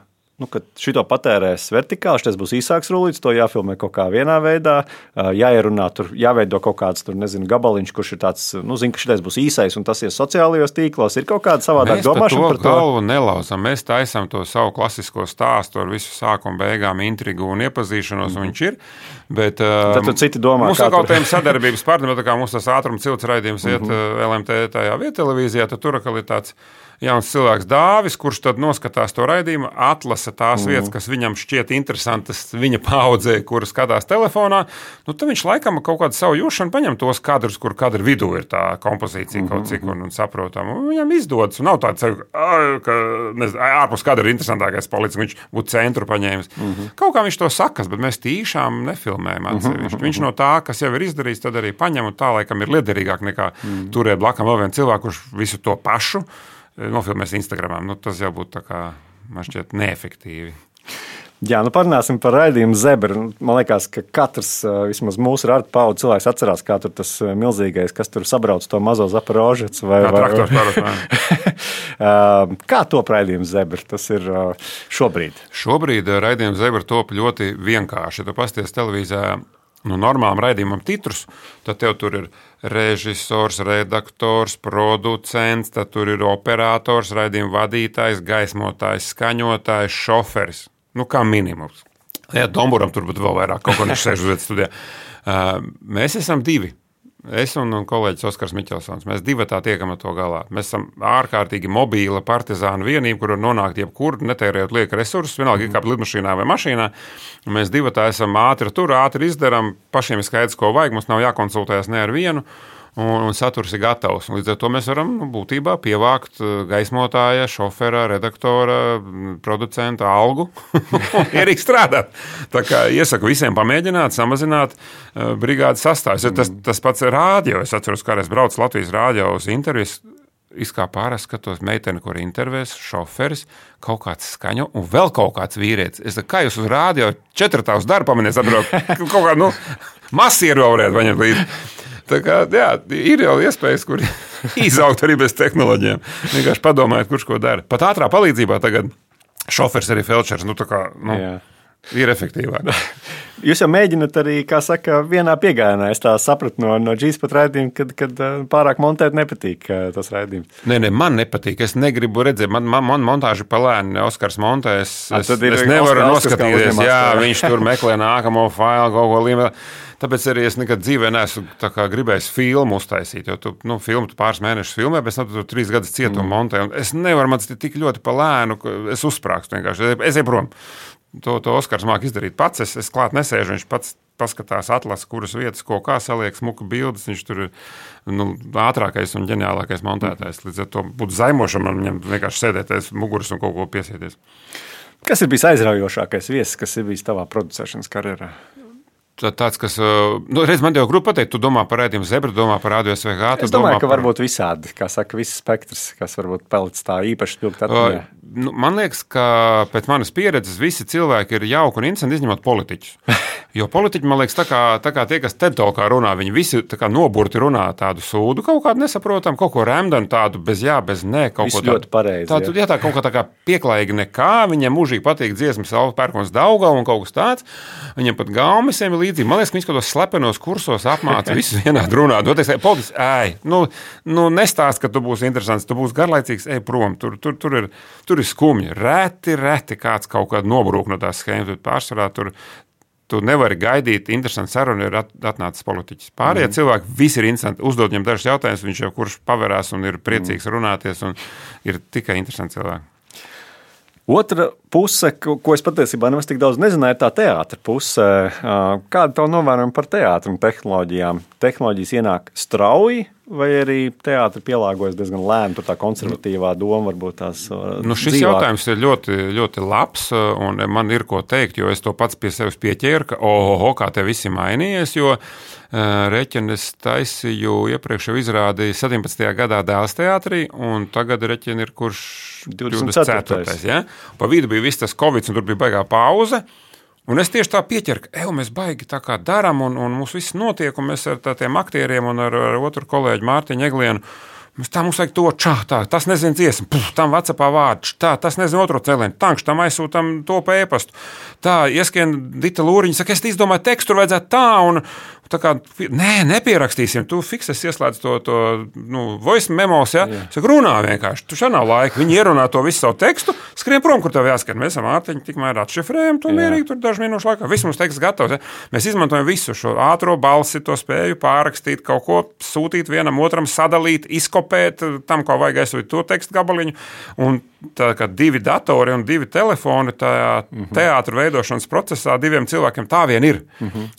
ka šito patērēs vertikāli, šitais būs īsāks rullīts, to jāfilmē kaut kā vienā veidā, jāierunā, tur jāveido kaut kāds, gabaliņš, kurš ir tāds, zina, ka šitais būs īsais, un tas ir sociālajos tīklos, ir kaut kāda savādāk domāšana par to. Mēs par to galvu nelauzam, mēs taisam to savu klasisko stāstu ar visu sākumu beigām, intrigu un iepazīšanos, un viņš ir, bet tad citi domā, mums kaut tiem sadarbības partneri, tā kā mums tas ātruma cilts raidījums iet LMT tajā viettelevīzijā, tad tur ir tāds jauns cilvēks Dāvis, kurš tad noskatās to raidījumu, atlasa tās vietas, kas viņam šķiet interesantas viņa paudzē, kuras skatās telefonā, tad viņš laikam kaut kādu savu jūšanu paņem tos kadrus, kur kadru vidū ir tā kompozīcija kaut cik un saprotam. Un viņam izdodas, un nav tāds, ka ārpus kadra ir interesantākais palicis, viņš būtu centru paņēmis. Kaut kā viņš to sakas, bet mēs tīšām nefilmējam atsevišķi. Viņš no tā, kas jau ir izdarījis, tad arī paņem, un tā laikam ir liederīgāk nekā turēt blakam vēl vienu cilvēku, kurš visu to pašu nofilmēs Instagramā. Tas jau būtu tā kā, man šķiet, neefektīvi. Jā, parunāsim par raidījumu Zebra. Man liekas, ka katrs, vismaz mūsu paudžu cilvēks atcerās, kā tur tas milzīgais, kas tur sabrauc to mazo Zaporožets. Traktors parasti. Kā top raidījums Zebra? Tas ir šobrīd. Šobrīd raidījums Zebra top ļoti vienkārši. Ja tu pasties televīzijā normālam raidījumam titrus, tad tev tur ir režisors, redaktors, producents, tad tur ir operators, raidījuma vadītājs, gaismotājs, skaņotājs, šoferis. Kā minimums. Jā, Domburam tur būtu vēl vairāk, kaut ko viņš sēž uz vietas studijā. Mēs esam divi. Es un kolēģis Oskars Miķelsons. Mēs divatā tiekam ar to galā. Mēs esam ārkārtīgi mobīla partizānu vienība, kur var nonākt jebkur, netērējot lieka resursus, vienalga kā lidmašīnā vai mašīnā. Mēs divatā esam ātri izdarām, pašiem ir skaidrs, ko vajag, mums nav jākonsultējas ne ar vienu, un saturs ir gatavs. Līdz ar to mēs varam būtībā pievākt gaismotāja, šofera, redaktora, producenta algu un ierīk strādāt. Tā kā iesaku visiem pamēģināt, samazināt brigādes sastāvs. Tas pats ir rādio. Es atceros, kā es braucu Latvijas rādio uz intervijas, kā pārāk skatos meiteni, kur intervēs, šoferis, kaut kāds skaņo un vēl kaut kāds vīrietis. Es kā jūs uz rādio 4 uz darbu pamanies atbraukt, kaut kā, masieru varētu paņemt līdzi. Tā kā, jā, ir jau iespējas, kur izaugt arī bez tehnoloģijām. Vienkārši padomājiet, kurš ko dara. Pat ātrā palīdzībā tagad šofers arī felčers, ir efektīvāk. Jūs jau mēģināt arī, kā saka, vienā piegājienā. Es tā sapratu no G-Spot raidījuma, kad pārāk montēt nepatīk tas raidījums. Nē, man nepatīk. Es negribu redzēt, man montāži palēni Oskars montē. Es nevaru noskatīties. Jā, viņš tur meklē nākamo failu, kaut ko līmē. Tāpēc arī es nekad dzīvē neesmu gribējis filmu uztaisīt, jo tu filmu pāris mēnešus filmē, bet tu 3 gadus cietumu montē. Es nevaru man tik ļoti palēnu, ka es uzsprākstu vienkārši. Es eju prom. To Oskars māk izdarīt pats. Es klāt nesēžu, viņš pats paskatās, atlasa, kuras vietas, ko kā saliek, smuka bildes. Viņš tur ir ātrākais un ģeniālākais montētājs. Līdz ar to būtu zaimošam man viņam vienkārši sēdēties muguras un kaut ko piesieties. Kas ir bijis aizraujošākais viesis, kas ir bijis tavā producēšanas karjerā? Tāds, kas, redz, man jau grūti pateikt, tu domā par raidījumu Zebra, domā par Radio SVH. Es domāju, ka varbūt visādi, kā saka, viss spektrs, kas varbūt palicis tā īpaši spilgt atmiņā. Man liekas, ka pēc manas pieredzes visi cilvēki ir jauki un interesanti, izņemot politiķus. Jo politiķi, man liekas, tā kā tie, kas TED Talkā runā, viņi visi tā kā noburti runā tādu sūdu, kaut kādu nesaprotam, kaut ko remdanu tādu bez jā, bez nē, kaut visu ko tādu. Ļoti pareizi. Jā, tā kaut kā tā kā pieklājīgi nekā, viņiem mūžīgi patīk dziesmas Alfa Pērkons Daugava un kaut kas tāds. Viņiem pat gaumisiem ir līdzīgi. Man liekas, ka viņš kaut kādos slepenos kursos apmāca visus vienādi runāt. Politiski, nestāst, ka tu būsi interesants, tu būsi garlaicīgs, ej prom. Tur ir skumji. Reti kāds kaut kādu nobrūk no tās schēmas, bet pārsvarā tu nevari gaidīt interesantu sarunu, ir atnācis politiķis. Pārējie cilvēki visi ir interesanti. Uzdod viņam dažus jautājumus, viņš jau kurš paverās un ir priecīgs runāties un ir tikai interesanti cilvēki. Otra puse, ko es patiesībā nemaz tik daudz nezināju, ir tā teātra puse. Kāda tev novērojuma par teātru un tehnoloģijām? Tehnoloģijas ienāk strauji, vai arī teātri pielāgojas diezgan lēni, tur tā konservatīvā doma varbūt tās šis jautājums ir ļoti, ļoti labs, un man ir ko teikt, jo es to pats pie sevis pieķēru, ka kā te visi mainījies, jo Reķeni es taisīju iepriekš jau izrādīju 17. gadā Dēls teātrī, un tagad Reķeni ir kurš 24. Ja? Pa vidu bija viss tas Covid, un tur bija baigā pauze. Un es tieši tā pieķeru, ka mēs baigi tā kā daram, un mums viss notiek, un mēs ar tādiem aktieriem un ar otru kolēģi Mārtiņu Eglienu, mums vajag to tas nezinu dziesmu, tam WhatsAppā vārdu, tas nezinu otro cēlienu, tam aizsūtam to pa e-pastu. Tā, ieskrien Dita Lūriņa, saka, es izdomāju tekstu, tur vajadzētu tā, un tā kā, nepierakstīsim, tu fiksēs ieslēdz to voice memos, ja? Saka, runā vienkārši, tu šā nav laika, viņi ierunā to visu savu tekstu, skrien prom, kur tev jāskat, mēs esam Mārtiņu tikmēr atšifrējam, to mierīgi, tur dažu minūšu laikā, viss mums teksts gatavs, ja? Mēs izmantojam visu šo ātro balsi, to spēju pārrakstīt, kaut ko sūtīt vienam otram, sadalīt, izkopēt, tam, ko vajag aizsūt to tekstu gabaliņu, un tā kā 2 datori un 2 telefoni tajā teātru veidošanas procesā 2 cilvēkiem tā vien ir.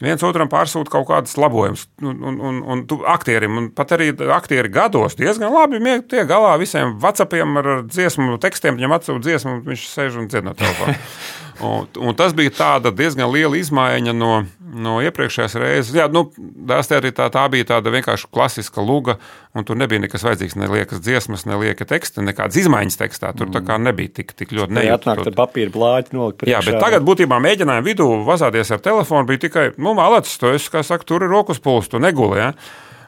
Viens otram pārsūta kaut kādas labojumus. Un aktierim, un pat arī aktieri gados diezgan labi tiek galā visiem WhatsAppiem ar dziesmu tekstiem, viņam atsūta dziesmu, un viņš sēž un dzied no telefona. Un tas bija tāda diezgan liela izmaiņa no iepriekšējās reizes. Jā, tā bija tāda vienkārši klasiska luga, un tur nebija nekas vajadzīgs, ne liekas dziesmas, ne lieka teksta, nekādas izmaiņas tekstā. Tur tā kā nebija tik ļoti nejūtas. Atnāk ar papīra blāķi nolikt priekšā. Jā, bet tagad būtībā mēģinājumu vidū vazāties ar telefonu bija tikai, malacis, to es, kā saka, tur ir rokas puls, tu neguli, ja?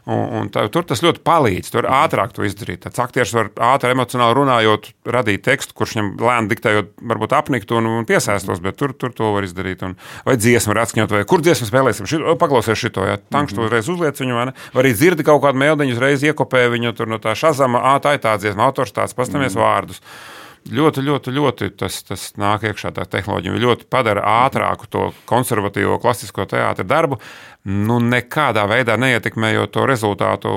Tur tas ļoti palīdz, tur ātrāk to izdarīt. Tāds aktieris var ātri emocionāli runājot, radīt tekstu, kurš viņam lēni diktējot, varbūt apnikt un piesēstos, bet tur to var izdarīt. Vai dziesmu var atskaņot, vai kur dziesmu spēlēsim, paklausies šito, ja tankš to uzreiz uzliec viņu, vai ne? Vai arī dzirdi kaut kādu meldiņu, uzreiz iekopē viņu tur no tā šazama, tā ir tā dziesma, autors tāds, pastamies vārdus. Ļoti tas nāk iekšā tā tehnoloģija. Ļoti padara ātrāku to konservatīvo klasisko teātra darbu, nekādā veidā neietekmējot to rezultātu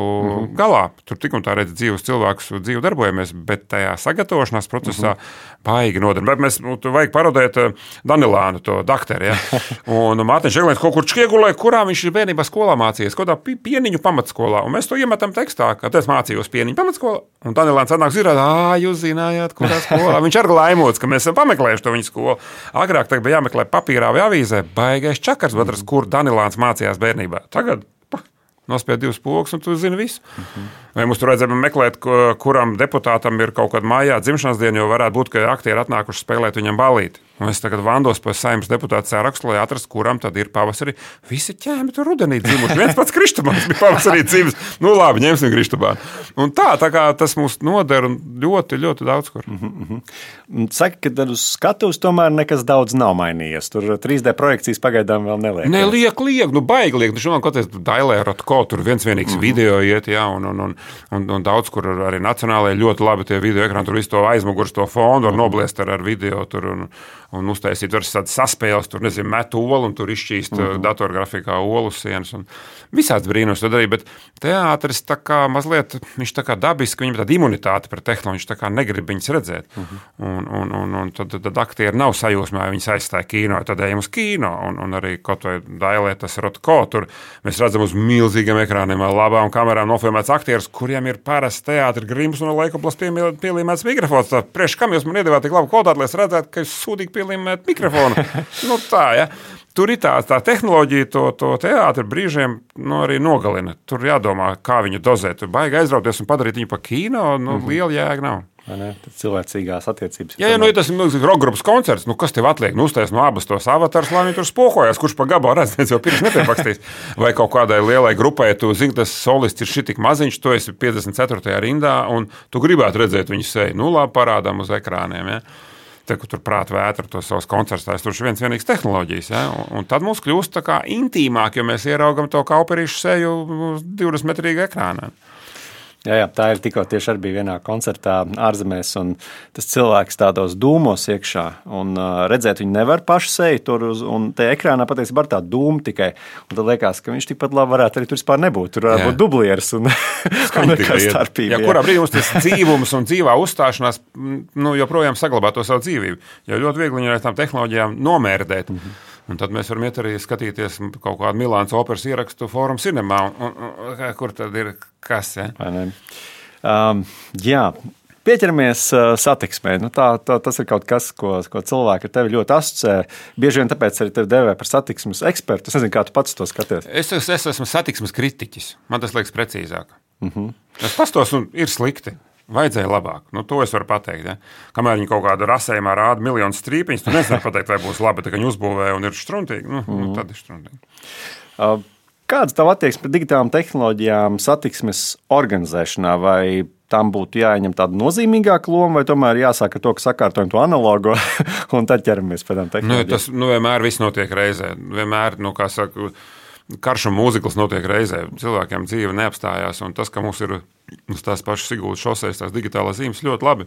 galā. Tur tik un tā redz dzīvus cilvēkus, dzīvi darbojamies, bet tajā sagatavošanās procesā baigi nodara. Bet mēs vajag parodēt Danilānu, to dakteri, ja? Un Mārtiņš Eglēns kaut kur Čkiegulē, kurā viņš ir bērnībā skolā mācījies, kaut kā pieniņu pamatskolā. Un mēs to iemetam tekstā, ka es mācījos pieniņu pamatskolā. Un Danilāns atnāk zirāt, jūs zinājāt, kurā skolā. Viņš arī laimots, ka mēs esam pameklējuši to viņa skolu. Agrāk tagad bija jāmeklē papīrā vai avīzē, baigais čakars, atrast, kur Danilāns mācījās bērnībā. Tagad nospied 2 pogas, un tu zini visu. Vai mums tur vajadzēja meklēt, kuram deputātam ir kaut kāda mājā dzimšanas diena, jo varētu būt, ka aktieri atnākuši spēlēt viņam balīti. Un es tagad vandos pēc Saeimas deputāta sarakstu, lai atrastu, kuram tad ir pavasarī. Visi ķēmi tur rudenī dzimuši. Viens pats Kristubāns bija pavasarī dzimis. Labi, ņemsim Kristubānu. Un tā kā tas mūs noder ļoti, ļoti daudz kur. Saka, ka tad uz skatuves tomēr nekas daudz nav mainījies. Tur 3D projekcijas pagaidām vēl neliek. Nē, liek, baigi liek. Šodien, kaut kāds Dailē Rotko, tur vienīgs video iet, jā, un daudz, kur arī nacionālajie ļoti labi tie video ekrāni, tur visu to aizmugurs, to fonu var nobliest ar video tur un uztaisīt var saspēles, tur, nezinu, met olu un tur izšķīst datorgrafikā olu sienas un visāds brīnums to darīja, bet teātris tā kā mazliet, viņš tā kā dabiski, viņam tāda imunitāte par tehnoloģiju, viņš tā kā negrib viņas redzēt. Un tad aktieri nav sajūsmā, viņas aizstāja kino, tad ejam uz kino, un arī kaut vai Dailē tas Rotko, tur mēs redzam uz milzīgiem ekrāniem, labām kamerām nofilmēts aktieris, kuriem ir parasti teātri grims un laikoplas pielīmēts mikrofons. Priekš kam jūs man iedevāt tik labu kvalitāti, lai es redzētu, ka es sūdīgi pielīmēt mikrofonu? Tā, ja. Tur ir tā tehnoloģija, to teātri brīžiem arī nogalina. Tur jādomā, kā viņu dozēt. Tur baigi aizrauties un padarīt viņu pa kino, liela jēga nav. Cilvēcīgās attiecības. Ja tas ir milzīgs roka grupas koncerts, kas tev atliek? Uztais no abas tos avatars, lai viņi tur spohojās, kurš pa gabalu redz, jau pirms nepiepakstīs. Vai kaut kādai lielai grupai, tu zini, tas solists ir šitik maziņš, tu esi 54. rindā, un tu gribētu redzēt viņu seju. Labi, parādām uz ekrāniem, ja? Tur prāt vētra tos savus koncertstājus, tur ir vienīgs tehnoloģijas, ja? Un tad mums kļūst tā kā intīmāk, jo mēs ieraugam to kauperīšu seju uz 20-metrīgu ekrānā. Jā, tā ir tikko tieši arī bija vienā koncertā ārzemēs, un tas cilvēks tādos dūmos iekšā, un redzēt viņu nevar pašu seju tur, un te ekrānā patiesībā ir tā dūma tikai, un tad liekas, ka viņš tikpat labi varētu arī tur vispār nebūt, tur varētu būt dublieris un nekā starpība. Jā, kurā brīdī mums tas dzīvums un dzīvā uzstāšanās joprojām saglabā to savu dzīvību, jo ļoti viegli viņu ar tām tehnoloģijām nomērdēt. Un tad mēs varam iet arī skatīties kaut kādu Milānas operas ierakstu Fórum Cinemā, kur tad ir kas, ja? Jā, pieķeramies satiksmē. Tas ir kaut kas, ko cilvēki ar tevi ļoti asociē. Bieži vien tāpēc arī tevi devē par satiksmes ekspertu. Es nezinu, kā tu pats to skaties. Es esmu satiksmes kritiķis. Man tas liekas precīzāk. Es pastos un ir slikti. Vajadzēja labāk. To es varu pateikt. Ja? Kamēr viņi kaut kādu rasējumā rāda miljonus strīpiņus, tu nevari pateikt, vai būs labi, ka viņi uzbūvē un ir štruntīgi. Tad ir štruntīgi. Kāds tavu attieksme pret digitālām tehnoloģijām satiksmes organizēšanā? Vai tam būtu jāņem tāda nozīmīgāka loma, vai tomēr jāsāk ar to, ka sakārtojam to analogo un tad ķeramies pie tām tehnoloģijām? Tas vienmēr viss notiek reizē. Vienmēr, kā saka, karš un mūzikls notiek reizē. Cilvēkiem dzīve neapstājās, un tas, ka mums ir uz tās pašas Siguldas šosejas tās digitālās zīmes ļoti labi,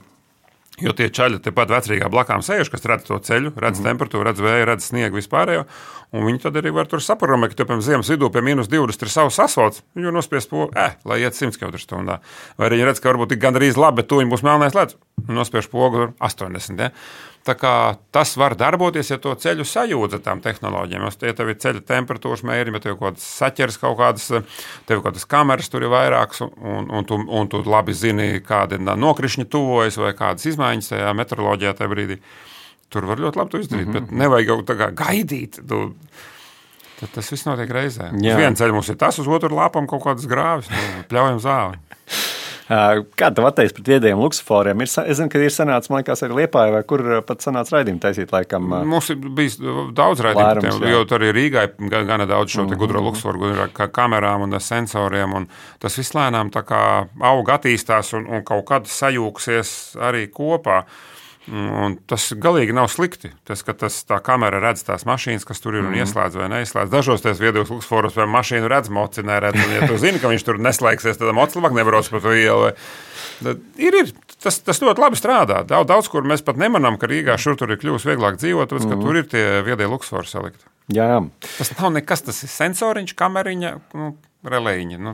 jo tie čaļi tepat vecrīgā blakām sēž, kas redz to ceļu, redz temperatūru, redz vēju, redz sniegu vispārējo, un viņi tad arī var tur saprogramēt, ka piemēram ziemas vidū pie -20 ir savs asfalts, viņu nospies pogu, lai iet 100 km/h. Vai arī redz, ka varbūt tik gandrīz labi, bet tuņi būs melnais ledus, un nospiež pogu 80, ja? Tā kā tas var darboties, ja to ceļu sajūdz ar tām tehnoloģijām. Ja tev ir ceļa temperatūras mērījumi, ja tev kaut kādas saķeres, tev kaut kādas kameras tur ir vairākas, un tu labi zini, kādi nokrišņi tuvojas vai kādas izmaiņas tajā meteoroloģijā tajā brīdī, tur var ļoti labi to izdarīt, bet nevajag jau tā kā gaidīt. Tad tas viss notiek reizē. Uz vienu ceļu mums ir tas, uz otru lāpam kaut kādas grāvis, pļaujam zāli. Kāda tev atteiks pret viedajiem luksusforiem? Es zinu, ka ir sanācis, man liekas, arī Liepājā, vai kur pat sanāca raidījumi taisīt, laikam. Mums ir bijis daudz raidījumu, jo tur arī Rīgā gana daudz šo te gudro luksusforu, gudro kamerām un sensoriem, un tas viss lēnām tā kā aug, attīstās un kaut kad sajūksies arī kopā. Un tas galīgi nav slikti. Tas, ka tā kamera redz tās mašīnas, kas tur ir un ieslēdz vai neieslēdz. Dažos tās viedokļos luksusforos vai mašīnu redz, moci neredz. Un, ja tu zini, ka viņš tur neslēgsies, tad moci labāk nebrauc pa to ielu. Ir. Tas ļoti labi strādā. Daudz, kur mēs pat nemanām, ka Rīgā šur tur ir kļūst vieglāk dzīvot, tāpēc, ka tur ir tie viedie luksusfori salikti. Jā. Tas nav nekas, tas ir sensoriņš, kameriņa, relējiņa.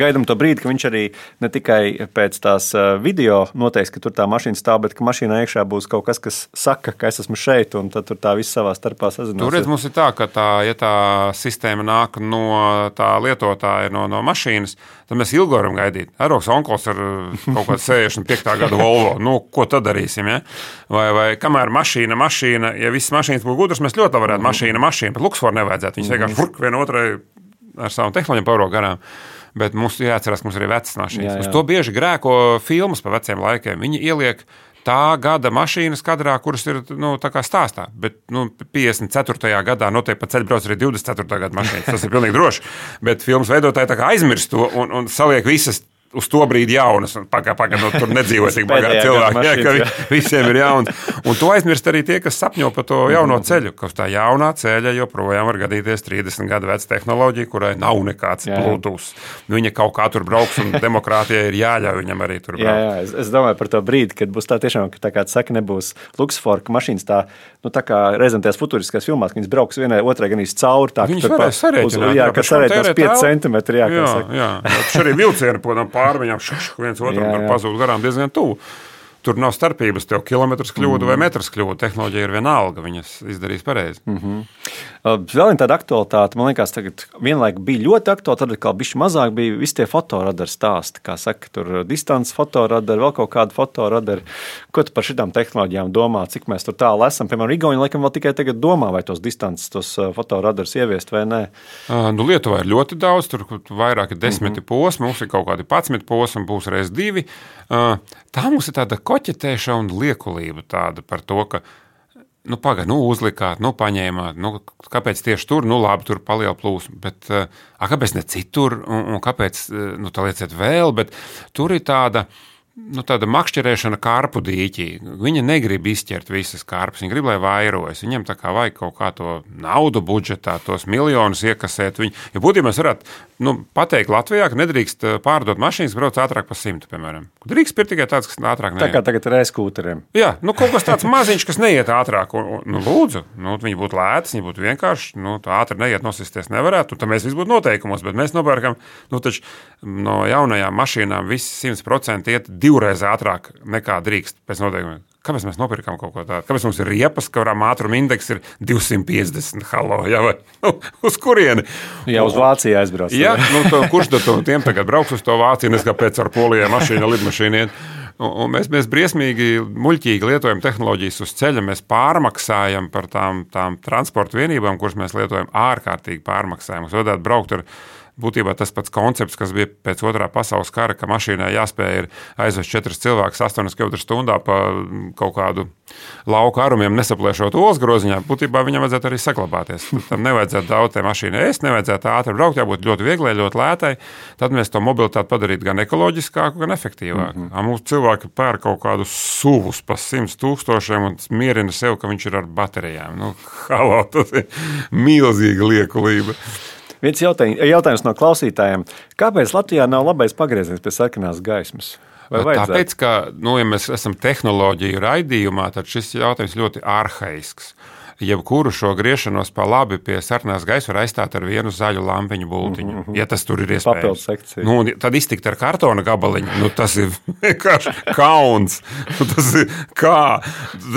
Gaidām to brīdi, ka viņš arī ne tikai pēc tās video noteiks, ka tur tā mašīna stāv, bet ka mašīnā iekšā būs kaut kas, kas saka, ka es esmu šeit, un tad tur tā viss savā starpā sazinās. Tur redz, mums ir tā, ka ja tā sistēma nāk no tā lietotāja, no mašīnas, tad mēs ilgi varam gaidīt. Aroks onkols ar kaut kādu 65. gadu Volvo. Ko tad darīsim, ja? Vai kamēr mašīna, ja visas mašīnas būtu gudras, mēs ļoti varētu mašīna, bet luksusforu nevajadzētu. Viņas vienkārši vienotrai ar savām tehnoloģijām pauro garām. Bet mums jāatcerās, ka mums ir arī vecas mašīnas. Uz to bieži grēko filmas pa veciem laikiem. Viņi ieliek tā gada mašīnas kadrā, kuras ir tā kā stāstā. Bet 54. gadā noteikti pa ceļu brauc arī 24. gada mašīnas. Tas ir pilnīgi droši. Bet filmas veidotāji tā kā aizmirst to un saliek visas uz to brīdi jaunas, un tur nedzīvo tik bagāti cilvēki, ka visiem ir jauns. Un to aizmirst arī tie, kas sapņo par to jauno ceļu, ka uz tā jaunā ceļa joprojām var gadīties 30 gadu veca tehnoloģija, kurai nav nekāds Bluetooth. Viņa kaut kā tur brauks, un demokrātijai ir jāļauj viņam arī tur braukt. Jā, es domāju par to brīdi, kad būs tā tiešām, ka tā kā saka, nebūs luksusforu, ka mašīnas tā kā reizēm tajās futuriskās filmās, ka viņas brauks vienai otrai gan cauri, tā ka tur sarēķinās 5 centimetri, jā. Šarī vilcieni, pārviņām viens otram tur pazūd garām diezgan tuvu. Tur nav starpības, tev kilometrs kļūda vai metrs kļūda. Tehnoloģija ir vienalga, viņas izdarīs pareizi. Vēl viena tāda aktualitāte, man liekas, tagad vienlaik bija ļoti aktuāli, tad kā bišķi mazāk bija visi tie fotoradari stāsti, kā saka, tur distants fotoradari, vēl kaut kādi fotoradari. Ko tu par šitām tehnoloģijām domā, cik mēs tur tālu esam? Piemēram, Igauni laikam vēl tikai tagad domā, vai tos distants, tos fotoradarus ieviest vai nē. Lietuvā ir ļoti daudz, tur vairāk ir 10 posmi, mums ir kaut kādi 11 posmi, būs reiz 2. Tā mums ir tāda koķetēšana un liekulība tāda par to, ka uzlikāt, paņēmāt, kāpēc tieši tur, labi, tur paliela plūsma, bet kāpēc ne citur, un kāpēc, tā lieciet vēl, bet tur ir tāda makšķerēšana karpu dīķī. Viņa negrib izķert visas karpus, viņa grib, lai vairojas. Viņam tā kā vajag kaut kā to naudu budžetā, tos miljonus iekasēt. Jo būtībā mēs varētu pateikt Latvijā, ka nedrīkst pārdot mašīnas, brauc ātrāk pa 100, piemēram. Drīkst pirkt tikai tāds, kas ātrāk neiet. Tā kā tagad ir e-skūteriem. Jā, kaut kas tāds maziņš, kas neiet ātrāk. Lūdzu, viņi būtu lētas, viņi būtu vienkārši, tā ātri neiet, nosisties nevarētu, tad mēs visi būtu noteikumos, bet mēs nopērkam, taču no jaunajām mašīnām visi 100% iet 2 reizes ātrāk nekā drīkst pēc noteikumiem. Kāpēc mēs nopirkam kaut ko tādu? Kāpēc mums ir riepas, kurām ātruma indeks ir 250? Halo, jā, vai uz kurieni? Jā, uz Vāciju aizbrauc. Jā, kurš tad tiem tagad brauks uz to Vāciju, nes kāpēc ar Polijai mašīna, lidmašīna iet? Un mēs briesmīgi, muļķīgi lietojam tehnoloģijas uz ceļa, mēs pārmaksājam par tām transporta vienībām, kuras mēs lietojam ārkārtīgi pārmaksājam. Mums vajadzētu braukt ar būtībā tas pats koncepts, kas bija pēc otrā pasaules kara, ka mašīnai jāspēj ir aizvest 4 cilvēkus 8 km/h pa kaut kādu lauku arumiem, nesaplēšot olas groziņā. Būtībā viņam vajadzētu arī saglabāties. Tam nevajadzētu daudz tai mašīnai ēst, nevajadzētu ātri braukt, jābūt ļoti vieglai, ļoti lētai. Tad mēs to mobilitāti padarītu gan ekoloģiskāku, gan efektīvāku. Mūsu cilvēki pērk kaut kādus suvus pa 100 000 un mierina sev, ka viņš ir ar baterijām. Halo, tas ir milzīga liekulība. Viens jautājums no klausītājiem. Kāpēc Latvijā nav labais pagrieziens pie sarkanās gaismas? Tāpēc, ka, ja mēs esam tehnoloģiju raidījumā, tad šis jautājums ļoti arhaisks. Jebkuru šo griešanos pa labi pie sarkanās gaismas var aizstāt ar vienu zaļu lampiņu bultiņu, ja tas tur ir iespējams. Tad iztikt ar kartona gabaliņu, tas ir vienkārši kauns. Tas ir kā?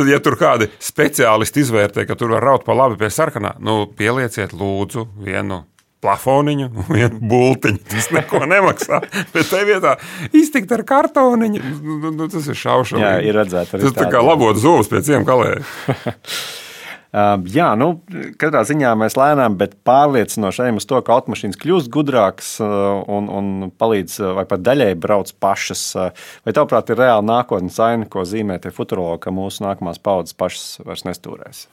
Ja tur kādi speciālisti izvērtē, ka tur var raut pa labi pie sarkanā, pielieciet lūdzu vienu plafoniņu un vienu bultiņu. Tas neko nemaksā. Bet te vietā iztikt ar kartoniņu, tas ir šaušalīgi. Jā, ir redzēt. Tas tā kā labot zūvus pie ciem kalēja. Jā, katrā ziņā mēs lēnām, bet pārliecinoši ejam uz to, ka automašīnas kļūst gudrākas un palīdz vai pat daļai brauc pašas. Vai tavuprāt ir reāli nākotnes aina, ko zīmē tie futurologi, ka mūsu nākamās paudzes pašas vairs nestūrēs?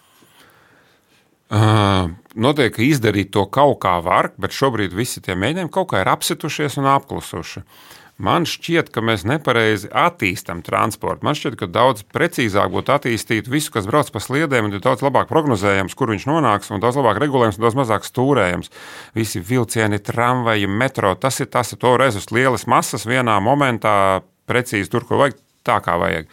Notiek, ka izdarīt to kaut kā var, bet šobrīd visi tie mēģinājumi kaut kā ir apsitušies un apklusuši. Man šķiet, ka mēs nepareizi attīstam transportu. Man šķiet, ka daudz precīzāk būtu attīstīt visu, kas brauc pa sliedēm, un ir daudz labāk prognozējams, kur viņš nonāks, un daudz labāk regulējams, un daudz mazāk stūrējams. Visi vilcieni, tramvaji, metro, tas ir to reiz uz lielas masas vienā momentā precīzi tur, ko vajag, tā kā vajag.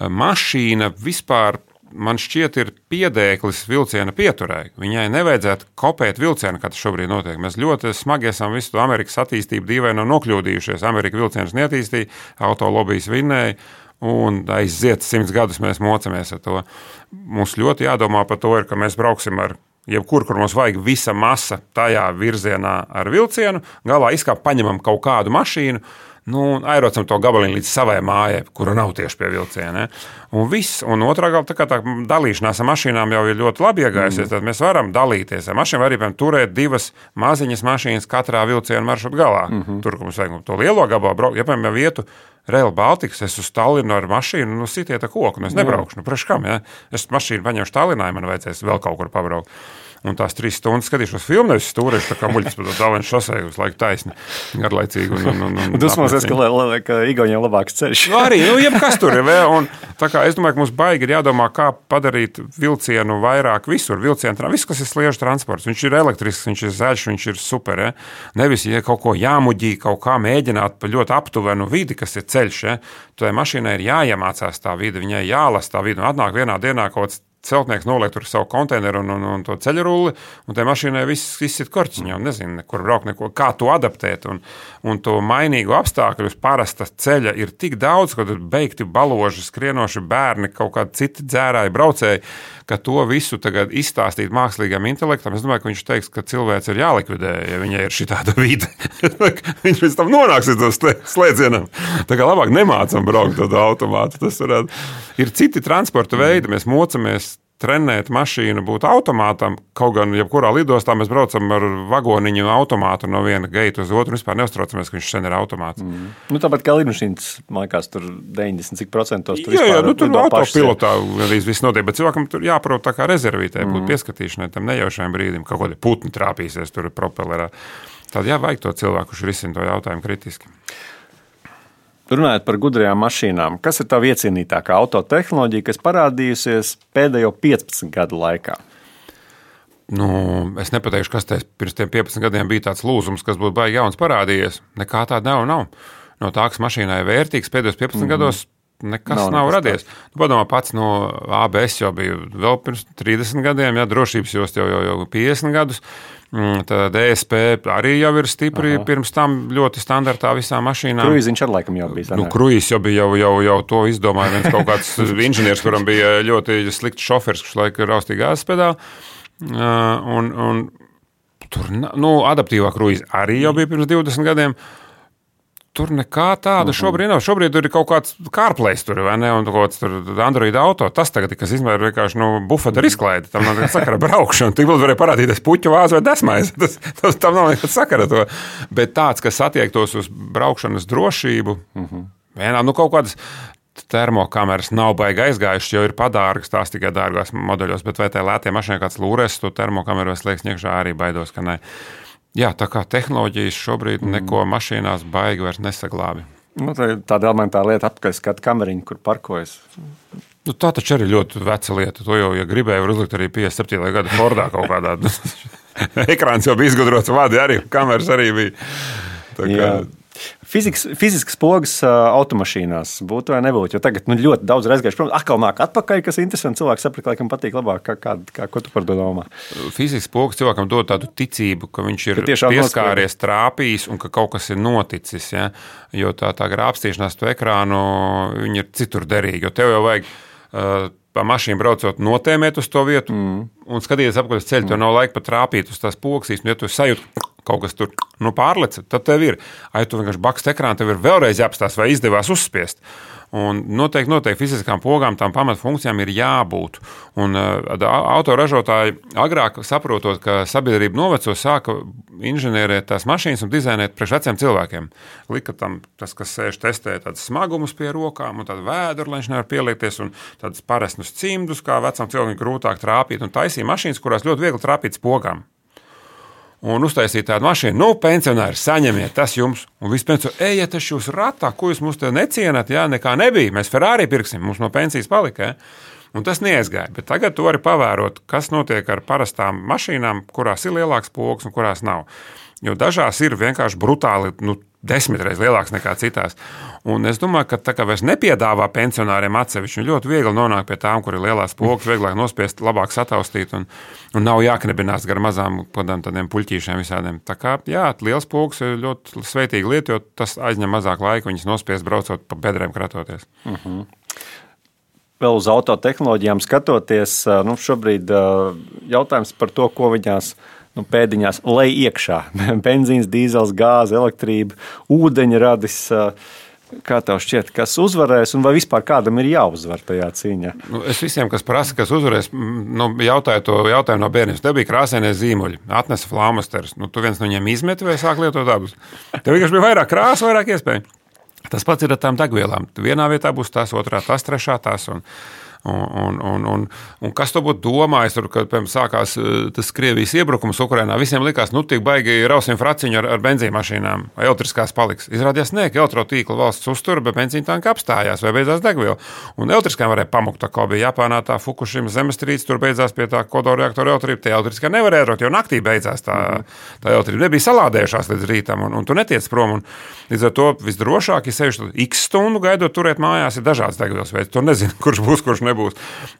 Mašīna vispār, man šķiet, ir piedēklis vilciena pieturē. Viņai nevajadzētu kopēt vilcienu, kā tas šobrīd notiek. Mēs ļoti smagi esam visu to Amerikas attīstību dīvaini nokļūdījušies. Amerika vilcienus neattīstīja, autolobijas vinnēja, un aiziet 100 gadus mēs mocamies ar to. Mums ļoti jādomā par to, ka mēs brauksim ar jebkur, kur mums vajag visa masa tajā virzienā ar vilcienu, galā paņemam kaut kādu mašīnu, aerocam to gabaliņu līdz savai mājai, kura nav tieši pie vilciena. Un viss, un otrā galā, tā dalīšanās ar mašīnām jau ir ļoti labi iegājusies, tad mēs varam dalīties ar mašīnām, arī, piemēram, turēt 2 maziņas mašīnas katrā vilciena maršruta galā. Tur, kur mums vajag to lielo gabalu braukt, ja, piemēram, vietu Rail Baltics, es uz Tallinnu ar mašīnu, sitiet ar koku, es nebraukšu, priekš kam, ja? Es mašīnu paņemšu Tallinā, man vajadzēs vēl kaut kur pabraukt. Un tās 3 stundas skatīšos filmu, nevis stūrēšu tā kā muļķis pa to Tallinnas šosei uz laiku taisni, garlaicīgi. Dusmosies, ka Igaunijam labāks ceļš. Arī, jebkas tur ir vēl. Un tā kā es domāju, ka mums baigi ir jādomā, kā padarīt vilcienu vairāk visur. Vilcienu, viss, kas ir sliežu transports. Viņš ir elektrisks, viņš ir zaļš, viņš ir super. Ja? Nevis, ja kaut ko jāmuģī, kaut kā mēģināt pa ļoti aptuvenu vidi, kas ir ceļš. Ja? Tai mašīnai ir jāiemācās tā vide, viņai jālas tā vide. Un atnāk vienā dienā kaut kāds celtnieks noliek tur savu konteineru un to ceļu rulli, un tai mašīnai viss ir korķiņā, un nezinu, kur braukt, kā to adaptēt, un to mainīgu apstākļu uz parasta ceļa ir tik daudz, kad ir beigti baloži, skrienoši bērni, kaut kādi citi dzērāji, braucēji, ka to visu tagad izstāstīt mākslīgam intelektam. Es domāju, ka viņš teiks, ka cilvēks ir jālikvidē, ja viņai ir šitāda vide. Viņš pēc tam nonāks uz to slēdzienam. Tā kā labāk nemācam braukt tādu automātu. Tas varētu. Ir citi transporta veidi, mēs mocamies trenēt mašīnu būt automātam, kaut gan jebkurā lidostā mēs braucam ar vagoniņu automātu no viena geita uz otru, un vispār neuztraucamies, ka viņš sen ir automāts. Tāpat kā lidmašīnas, man liekas, tur 90% tur vispār. Jā, tur autopilotā arī viss notiek, bet cilvēkam tur jāprot tā kā rezervītē, būt pieskatīšanai tam nejaušajam brīdim, kaut kādi putni trāpīsies tur propellerā. Tad vajag to cilvēku, kurš risina to jautājumu kritiski. Runājot par gudrajām mašīnām, kas ir tā iecienītākā autotehnoloģija, kas parādījusies pēdējo 15 gadu laikā? Es nepateikšu, kas pirms tiem 15 gadiem bija tāds lūzums, kas būtu baigi jauns parādījies. Nekā tāda nav. No tā, kas mašīnai ir vērtīgs, pēdējos 15 gados nekas nav radies. Padomā pats no ABS jau bija vēl pirms 30 gadiem, drošības jost jau 50 gadus. Tad DSP arī jau ir stipri pirms tam ļoti standartā visām mašīnām. Kruīziņš ar laikam jau bija. Kruīzs jau bija, jau to izdomāja viens kaut kāds inženieris, kuram bija ļoti slikts šofers, kurš laika raustīja gāzes pedāli. Un tur, adaptīvā kruīze arī jau bija pirms 20 gadiem. Tur nekā tāda šobrīd nav. Šobrīd tur ir kaut kāds CarPlay tur, vai ne, un kaut kāds tur Android auto. Tas tagad, kas izmēr vienkārši bufeta ar izklaidi. Tam nav nekāda sakara braukšana. Tik vēl varēja parādīties puķu vāzi vai desmais. Tam nav nekāda sakara to. Bet tāds, kas attiektos uz braukšanas drošību, vienā, kaut kādas termokameras nav baigi aizgājušas, jo ir padārgas, tās tikai dārgās modeļos, bet vai tai lētie mašīnai kāds lūres to termokameru vai slēgs iekšā, arī baidos, ka ne. Jā, tā kā tehnoloģijas šobrīd neko mašīnās baigi vairs nesaglābi. Tāda elementāra lieta apskaist skatu kameriņu, kur parkojas. Tā taču arī ļoti veca lieta. To jau, ja gribēju, var uzlikt arī 57. gada Fordā kaut kādā. Ekrāns jau bija izgudrots, vadi arī, kameras arī bija. Tā kā... Fiziskas pogas automašīnās būtu vai nebūtu, jo tagad ļoti daudz reizgājuši, protams, atkal nāk atpakaļ, kas ir interesanti, cilvēks saprat, laikam patīk labāk, ko tu par to domā. Fiziskas pogas cilvēkam dod tādu ticību, ka viņš ir pieskāries, trāpījis un ka kaut kas ir noticis, ja? Jo tā grābstīšanās to ekrānu, viņi ir citur derīgi, jo tev jau vajag pa mašīnu braucot notēmēt uz to vietu un skatīties apkārt ceļu, tev nav laika pat trāpīt uz tās pogas, un ja tu sajūti, kaut kas tur pārlec, tad tev ir. Ja tu vienkārši bakst ekrānu, tev ir vēlreiz jāapstās, vai izdevās uzspiest. Un noteikti fiziskām pogām tām pamatfunkcijām ir jābūt. Un autoražotāji agrāk saprotot, ka sabiedrība noveco, sāka inženierēt tās mašīnas un dizainēt priekš veciem cilvēkiem. Lika tam tas, kas sēž testē tādas smagumus pie rokām un tādu vēduru, lai viņš nevar pieliekties un tādus paresnus cimdus, kā vecam cilvēkam grūtāk trāpīt. Un taisīja mašīnas, kurās ļoti viegli trāpīt pogām. Un uztaisīt tādu mašīnu, pensionāri, saņemiet tas jums. Un viss pensionāri, ejiet taču jūs ratā, ko jūs mums te necienat, nekā nebija. Mēs Ferrari pirksim, mums no pensijas palika. Un tas neaizgāja. Bet tagad tu vari pavērot, kas notiek ar parastām mašīnām, kurās ir lielāks pogas un kurās nav. Jo dažās ir vienkārši brutāli, 10 reizes lielāks nekā citās. Un es domāju, ka tā kā vairs nepiedāvā pensionāriem atsevišķi, ļoti viegli nonāk pie tām, kur ir lielās pogas, vieglāk nospiest, labāk sataustīt un nav jāknebinās gar mazām tādiem puļķīšiem visādiem. Tā kā, liels pogas ir ļoti sveitīga lieta, jo tas aizņem mazāk laika viņas nospiest, braucot pa bedrēm kratoties. Vēl uz autotehnoloģijām skatoties, šobrīd jautājums par to, ko viņās pēdiņās lej iekšā. Benzīns, dīzels, gāze, elektrība, ūdeņradis. Kā tev šķiet, kas uzvarēs un vai vispār kādam ir jāuzvar tajā cīņā? Es visiem, kas prasa, kas uzvarēs, jautāju to jautājumu no bērnības. Tev bija krāsainie zīmuļi, atnesa flaumasterus. Tu viens no viņiem izmeti vai sāk lietot abus? Tev vienkārši bija vairāk krāsu, vairāk iespēju. Tas pats ir ar tām degvielām. Vienā vietā būs tās, otrā tās, trešā tās Un kas to būtu domājis, kad sākās tas Krievijas iebrukums Ukrainā? Visiem likās, tik baigi rausim fraciņu ar benzīnmašīnām, vai elektriskās paliks. Izrādījās, ka elektrotīkla valsts uztura, bet benzīna tanka apstājās vai beidzās degviela. Un elektriskām varēja pamukt, tā kā bija Japānā tā Fukushima zemestrīce, tur beidzās pie tā kodolreaktora elektrība, tie elektriskā nevarēja rot, jo naktī beidzās tā elektrība. Nebija salādējušās līdz rītam, un tu netiec prom. Un līdz ar to visdrošāk, ja sevišķi x stundu gaidot turēt mājās, ir dažāds degvielas veids. Tu nezini, kurš būs, kurš nebūs.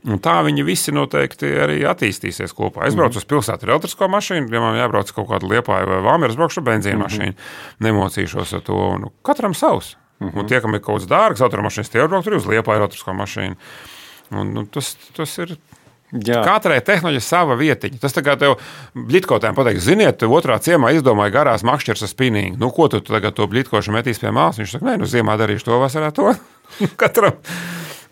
Un tā viņi visi noteikti arī attīstīsies kopā. Es braucu uz pilsētu ar elektrisko mašīnu, ja man jābrauc kaut kādu Liepāju vai Valmieru, es braukšu ar benzīnu mašīnu. Nemocīšos ar to. Katram savs. Un tie, kam ir kaut kāds dārgs automašīnas, tie brauc arī uz Liepāju elektrisko mašīnu. Un tas ir... Jā. Katrai tehnoloģija sava vietiņa. Tas tā kā tev bļitkotēm pateiks, ziniet, otrā ciemā izdomāja garās makšķers ar spinīgu. Ko tu tagad to bļitkošu metīs pie mālas? Viņš saka, ziemā darīšu to, vasarā to.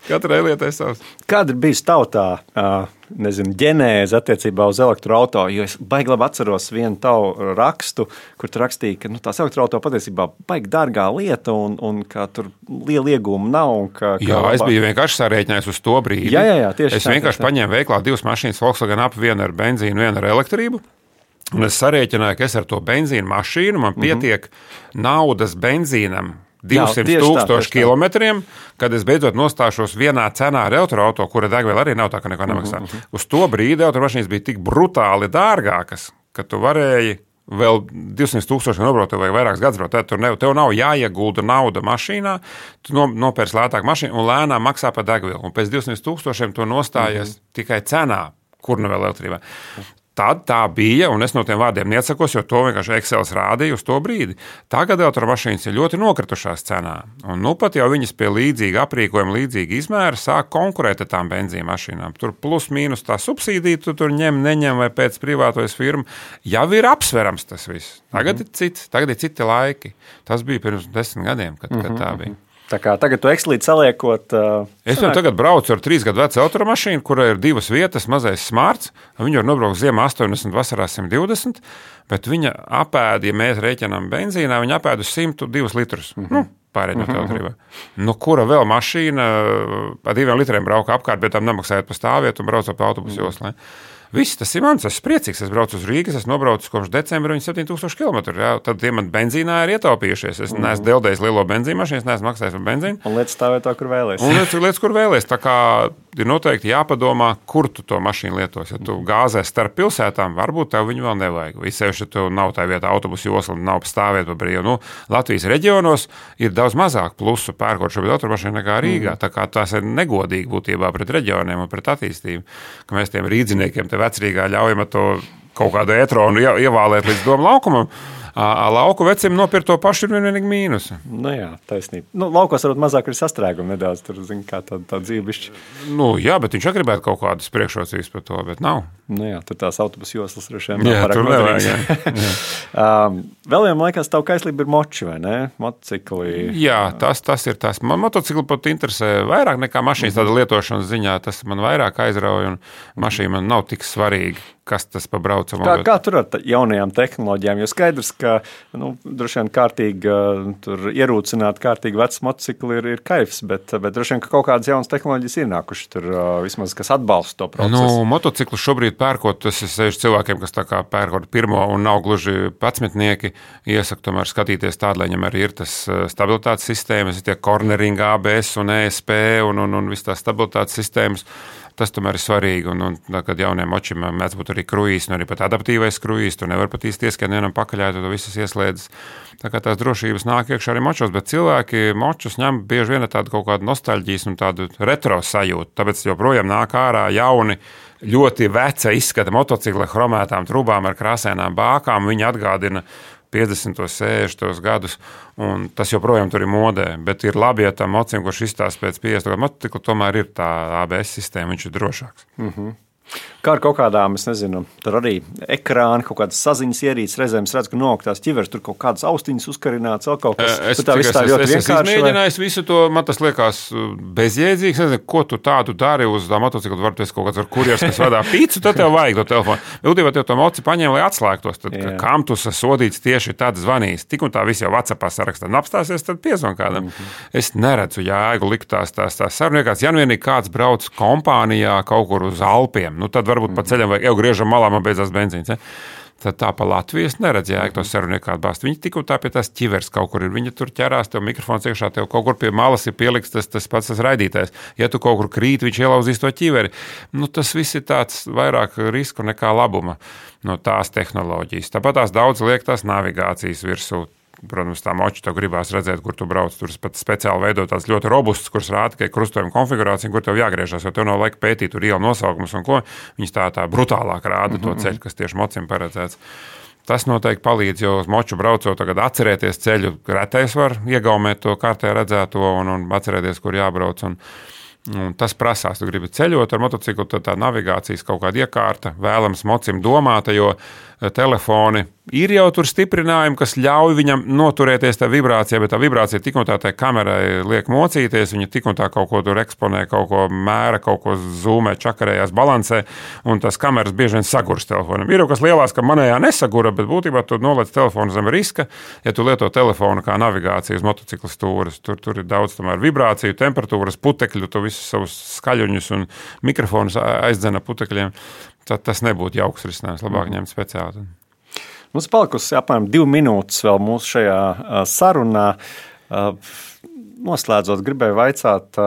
Katrai lietai savs. Kāda ir bijusi tautā, ģenēze attiecībā uz elektroauto? Jo es baigi labi atceros vienu tavu rakstu, kur tu rakstīji, ka tās elektroauto patiesībā baigi dārgā lieta un ka tur liela iegūma nav. Es biju vienkārši sarēķinājis uz to brīdi. Jā, tieši es vienkārši paņēmu veiklā 2 mašīnas Volkswagen Up, vienu ar benzīnu, vienu ar elektrību. Un es sarēķināju, ka es ar to benzīnu mašīnu, man pietiek naudas benzīnam 200,000 kilometriem, kad es beidzot nostāšos vienā cenā ar elektroauto, kura degviela arī nav tā, ka neko nemaksā. Uz to brīdi automašīnas bija tik brutāli dārgākas, ka tu varēji vēl 200,000 nobraukt, vai vairākas gadus braukt. Tev nav jāiegulda nauda mašīnā, tu nopērc lētāk mašīnu un lēnām maksā par degvielu. Un pēc 200,000 to nostājies tikai cenā, kur nu vēl elektrībā. Tad tā bija, un es no tiem vārdiem neatsakos, jo to vienkārši Excels rādīja uz to brīdi. Tagad elektromašīnas ir ļoti nokritušās cenā. Un pat jau viņas pie līdzīga aprīkojuma, līdzīga izmēra sāk konkurēt ar tām benzīna mašīnām. Tur plus mīnus tā subsīdija, tu tur neņem vai pēc privātojas firma. Jau ir apsverams tas viss. Tagad ir citi laiki. Tas bija pirms 10 gadiem, kad tā bija. Tā kā tagad tu Excelīt saliekot... Es jau tagad braucu ar 3 gadu vecu automašīnu, kurai ir 2 vietas, mazais smarts. Viņu var nobraukt ziemā 80, vasarā 120, bet viņa apēda, ja mēs rēķinām benzīnā, viņa apēda uz 102 litrus. Pārēģinot elektrībā. Kura vēl mašīna ar 2 litriem brauka apkārt, bet tam nemaksājot pa stāvvietu un braucot pa autobusu joslai. Viss tas ir mans, es esmu priecīgs. Es braucu uz Rīgas, es nobraucu kopš decembra 7,000 km. Tad tie man benzīnā ir ietaupījušies. Es neesmu deldējis lielo benzīnu mašīnu, es neesmu maksājis par benzīnu. Un lietas stāvēt tā, kur vēlēs. Kur vēlēs. Tā kā ir noteikti jāpadomā, kur tu to mašīnu lietos. Ja tu gāzē starp pilsētām, varbūt tev viņu vēl nevajag. Visēši, ja tu nav tā vietā autobusu josla un nav stāvēt pa brīvu. Latvijas reģionos ir daudz mazāk plusu pērkot šobrīd automašīnu nekā Rīgā. Tā kā tās ir negodīgi būtībā pret reģioniem un pret attīstību, ka mēs tiem rīdziniekiem te vecrīgā ļaujam to kaut kādu etronu ievālēt līdz domu laukumam. Lauku vecim nopirkt to pašu ir vienīgi mīnusi. Nu jā, taisnība. Nu, laukos varbūt mazāk ir sastrēgumi nedaudz, tur, zin, kā tā dzīvišķi. Nu jā, bet viņš gribētu kaut kādas priekšrocības par to, bet nav. Nu jā, tur tās autobusu joslas droši vien Jā, tur nevajag. Vēl vienam laikās tavu kaislība ir moči, vai ne? Motocikli. Jā, tas ir tas. Man motocikli pat interesē vairāk nekā mašīnas tāda lietošanas ziņā. Tas man vairāk aizrauja un mašīna man nav tik svarīga, kas tas pa braucamu. Kā tur ar jaunajām tehnoloģijām? Jo skaidrs, ka droši vien kārtīgi tur ierūcināt kārtīgi vecs motocikli ir kaifs, bet droši vien, ka kaut kādas jaunas tehnoloģijas ir nākuši tur vismaz, kas atbalsta to procesu. Motociklu šobrīd pērkot, tas ir 6 cilvēkiem, kas tā kā pērkot pirmo un nav gluži 11, iesaku tomēr skatīties tādu, lai viņam arī ir tas stabilitātes sistēmas, tie cornering, ABS un ESP un viss tās stabilitātes sistēmas. Tas tomēr ir svarīgi, un kad jauniem močiem mēdz būt arī kruīzs, un arī pat adaptīvais kruīzs, tu nevar pat īsti ieskien vienam pakaļā, tu to visas ieslēdzas. Tā kā tās drošības nāk iekšā arī močos, bet cilvēki močus ņem bieži vien tādu kaut kādu nostalģijas un tādu retro sajūtu, tāpēc joprojām nāk ārā jauni, ļoti veca izskata motocikla chromētām trubām ar krāsainām bākām, viņi atgādina 50, 60 gadus, un tas joprojām tur ir modē, bet ir labi, ja tam mocim, kurš izstāsta pēc 50 gadu motocikla, tomēr ir tā ABS sistēma, viņš ir drošāks. Kā ar kaut kādām, es nezinu, tur arī ekrāni, kaut kādas saziņas ierīces, reizēm es redzu, ka noktās ķivers, tur kaut kādas austiņas uzkarināts, vēl kaut kas. Es mēģināju visu to, man tas liekas bezjēdzīgs, nezinu, ko tu tādu dari uz tā motocikla, varbūt esi kaut kāds ar kurjers, kas vadā pīcu, tad tev vajag to telefonu. Būtībā tev to moci paņem, lai atslēgtos, tad kam tu sodīts tieši tad zvanīs, tik un tā viss jau WhatsAppā sarakstā, un apstāsies, tad piezvan kādam. Es neredzu jēgu likt tās sarunīgās, ja nu vienīgi kāds brauc kompānijā kaut kur uz Alpiem. Tad varbūt pa ceļam vajag, jau griežam malā, man beidzās benzīns. Ja? Tad tā pa Latvijas neredz jēgu to sarunu kādu bāzt. Viņi tik un tā pie tās ķivers kaut kur ir. Viņi tur ķerās, tev mikrofons iekšā, tev kaut kur pie malas ir pieliks tas pats raidītājs. Ja tu kaut kur krīt, viņš ielauzīs to ķiveri. Tas viss ir tāds vairāk risku nekā labuma no tās tehnoloģijas. Tāpat tās daudz liek tās navigācijas virsū. Protams, tā moča tev gribās redzēt, kur tu brauc. Tur pat speciāli veidot tāds ļoti robustus, kurš rāda, ka ir krustojuma konfigurācija, kur tev jāgriežās, jo tev nav laika pētīt tur ielu nosaukumus un ko. Viņas tā brutālāk rāda to ceļu, kas tieši mocim paredzēts. Tas noteikti palīdz, jo uz moču braucot tagad atcerēties ceļu. Retais var iegaumēt to kārtē redzēto un atcerēties, kur jābrauc. Un tas prasās, tu gribi ceļot ar motociklu, tad tā navigācijas kaut kāda iekārta vēlams mocim domāta, jo telefoni ir jau tur stiprinājumi, kas ļauj viņam noturēties tā vibrācijā, bet tā vibrācija tik un tā tai kamerai liek mocīties, viņa tik un tā kaut ko tur eksponē, kaut ko mēra, kaut ko zoomē, čakarējās, balansē, un tas kameras bieži vien sagurs telefonam. Ir jau kas lielās, ka manējā nesagura, bet būtībā tu noliec telefonu zem riska, ja tu lieto telefonu kā navigāciju uz motocikla stūres. Tur ir daudz tomēr vibrāciju, temperatūras, putekļu, tu visus savus skaļuņus un mikrofonus aizdzena putekļiem. Tad tas nebūtu jauks risinājums, labāk ņemt speciāli. Mums palikusi apmēram 2 minūtes vēl mūsu šajā sarunā. Noslēdzot, gribēju vaicāt,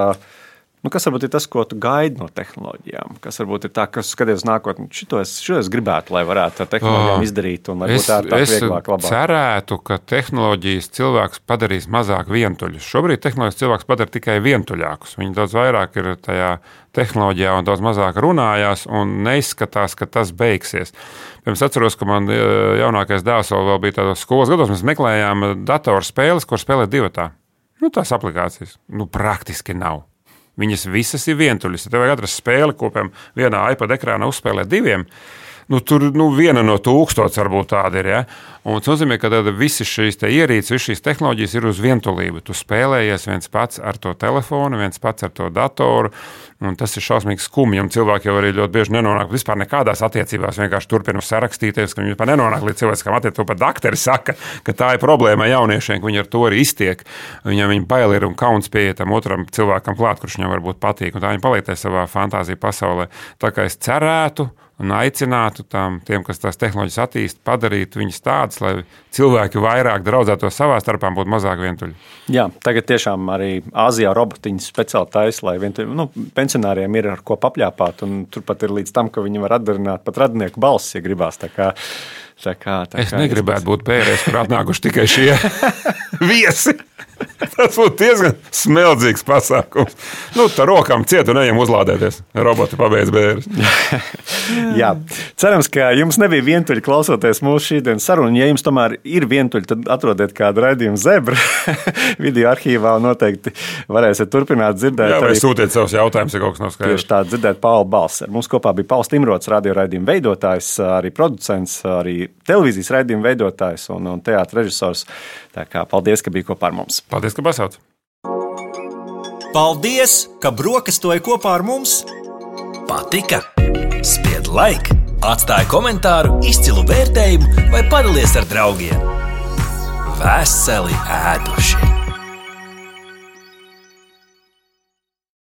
kas varbūt ir tas, ko tu gaidi no tehnoloģijām? Kas varbūt ir tā, kas skaties nākotnē? Šito es gribētu, lai varētu ar tehnoloģijām izdarīt un lai būtu tā vieglāk, labāk. Es cerētu, ka tehnoloģijas cilvēks padarīs mazāk vientuļus. Šobrīd tehnoloģijas cilvēks padara tikai vientuļākus. Viņi daudz vairāk ir tajā tehnoloģijā un daudz mazāk runājās un neizskatās, ka tas beigsies. Pirms atceros, ka man jaunākais dēls vēl bija tādos skolas gados, mēs meklējām datorspēles, kur spēlēt divatā. Tās aplikācijas. Praktiski nav. Viņas visas ir vientuļas. Ja tev vajag atrast spēli, ko piemēram vienā iPad ekrānā uzspēlēt 2, tur viena no 1000 varbūt tāda ir. Ja? Un tas nozīmē, ka visi šīs ierīces, visas šīs tehnoloģijas ir uz vientulību. Tu spēlējies viens pats ar to telefonu, viens pats ar to datoru, un tas ir šausmīgi skumji. Un cilvēki jau arī ļoti bieži nenonāk vispār nekādās attiecībās, vienkārši turpina sarakstīties, ka viņi vispār nenonāk līdz cilvēciskām attiecībām. To pat dakteri saka, ka tā ir problēma jauniešiem, ka viņi ar to arī iztiek. Viņam viņi bail ir un kauns pieiet tam otram cilvēkam klāt, kurš viņam varbūt patīk. Un tā viņi paliek savā fantāzija pasaulē. Tā kā es cerētu un aicinātu tiem, kas tās tehnoloģijas attīst, padarīt viņas tādas, lai cilvēki vairāk draudzētos savā starpā un būtu mazāk vientuļi. Jā, tagad tiešām arī Āzijā robotiņas speciāli taisa, lai pensionāriem ir ar ko papļāpāt, un turpat ir līdz tam, ka viņi var atdarināt pat radinieku balsis, ja gribās. Tā kā es negribētu būt pērēs, kur atnākuši tikai šie viesi. Tas būtu diezgan smeldzīgs pasākums. Tā rokām ciet un ejam uzlādēties. Roboti pabeidz bērus. Jā, cerams, ka jums nebija vientuļi klausoties mūsu šīdienas sarunu. Ja jums tomēr ir vientuļi, tad atrodiet kādu raidījumu Zebra video arhīvā un noteikti varēsiet turpināt dzirdēt. Jā, vai sūtiet savus jautājumus, ja kaut kas nav skaidrs. Tieši tā, dzirdēt Paula balss. Mums kopā bija Pauls Timrots, radio raidījuma veidotājs, arī producents, arī televīzijas raidījuma veidotājs un teātra režisors. Tā kā paldies, ka bija kopā ar mums. Paldies, ka pasauc. Paldies, ka brokastoji kopā ar mums. Patika? Spied like, atstāj komentāru, izcilu vērtējumu vai padalies ar draugiem. Veseli ēduši!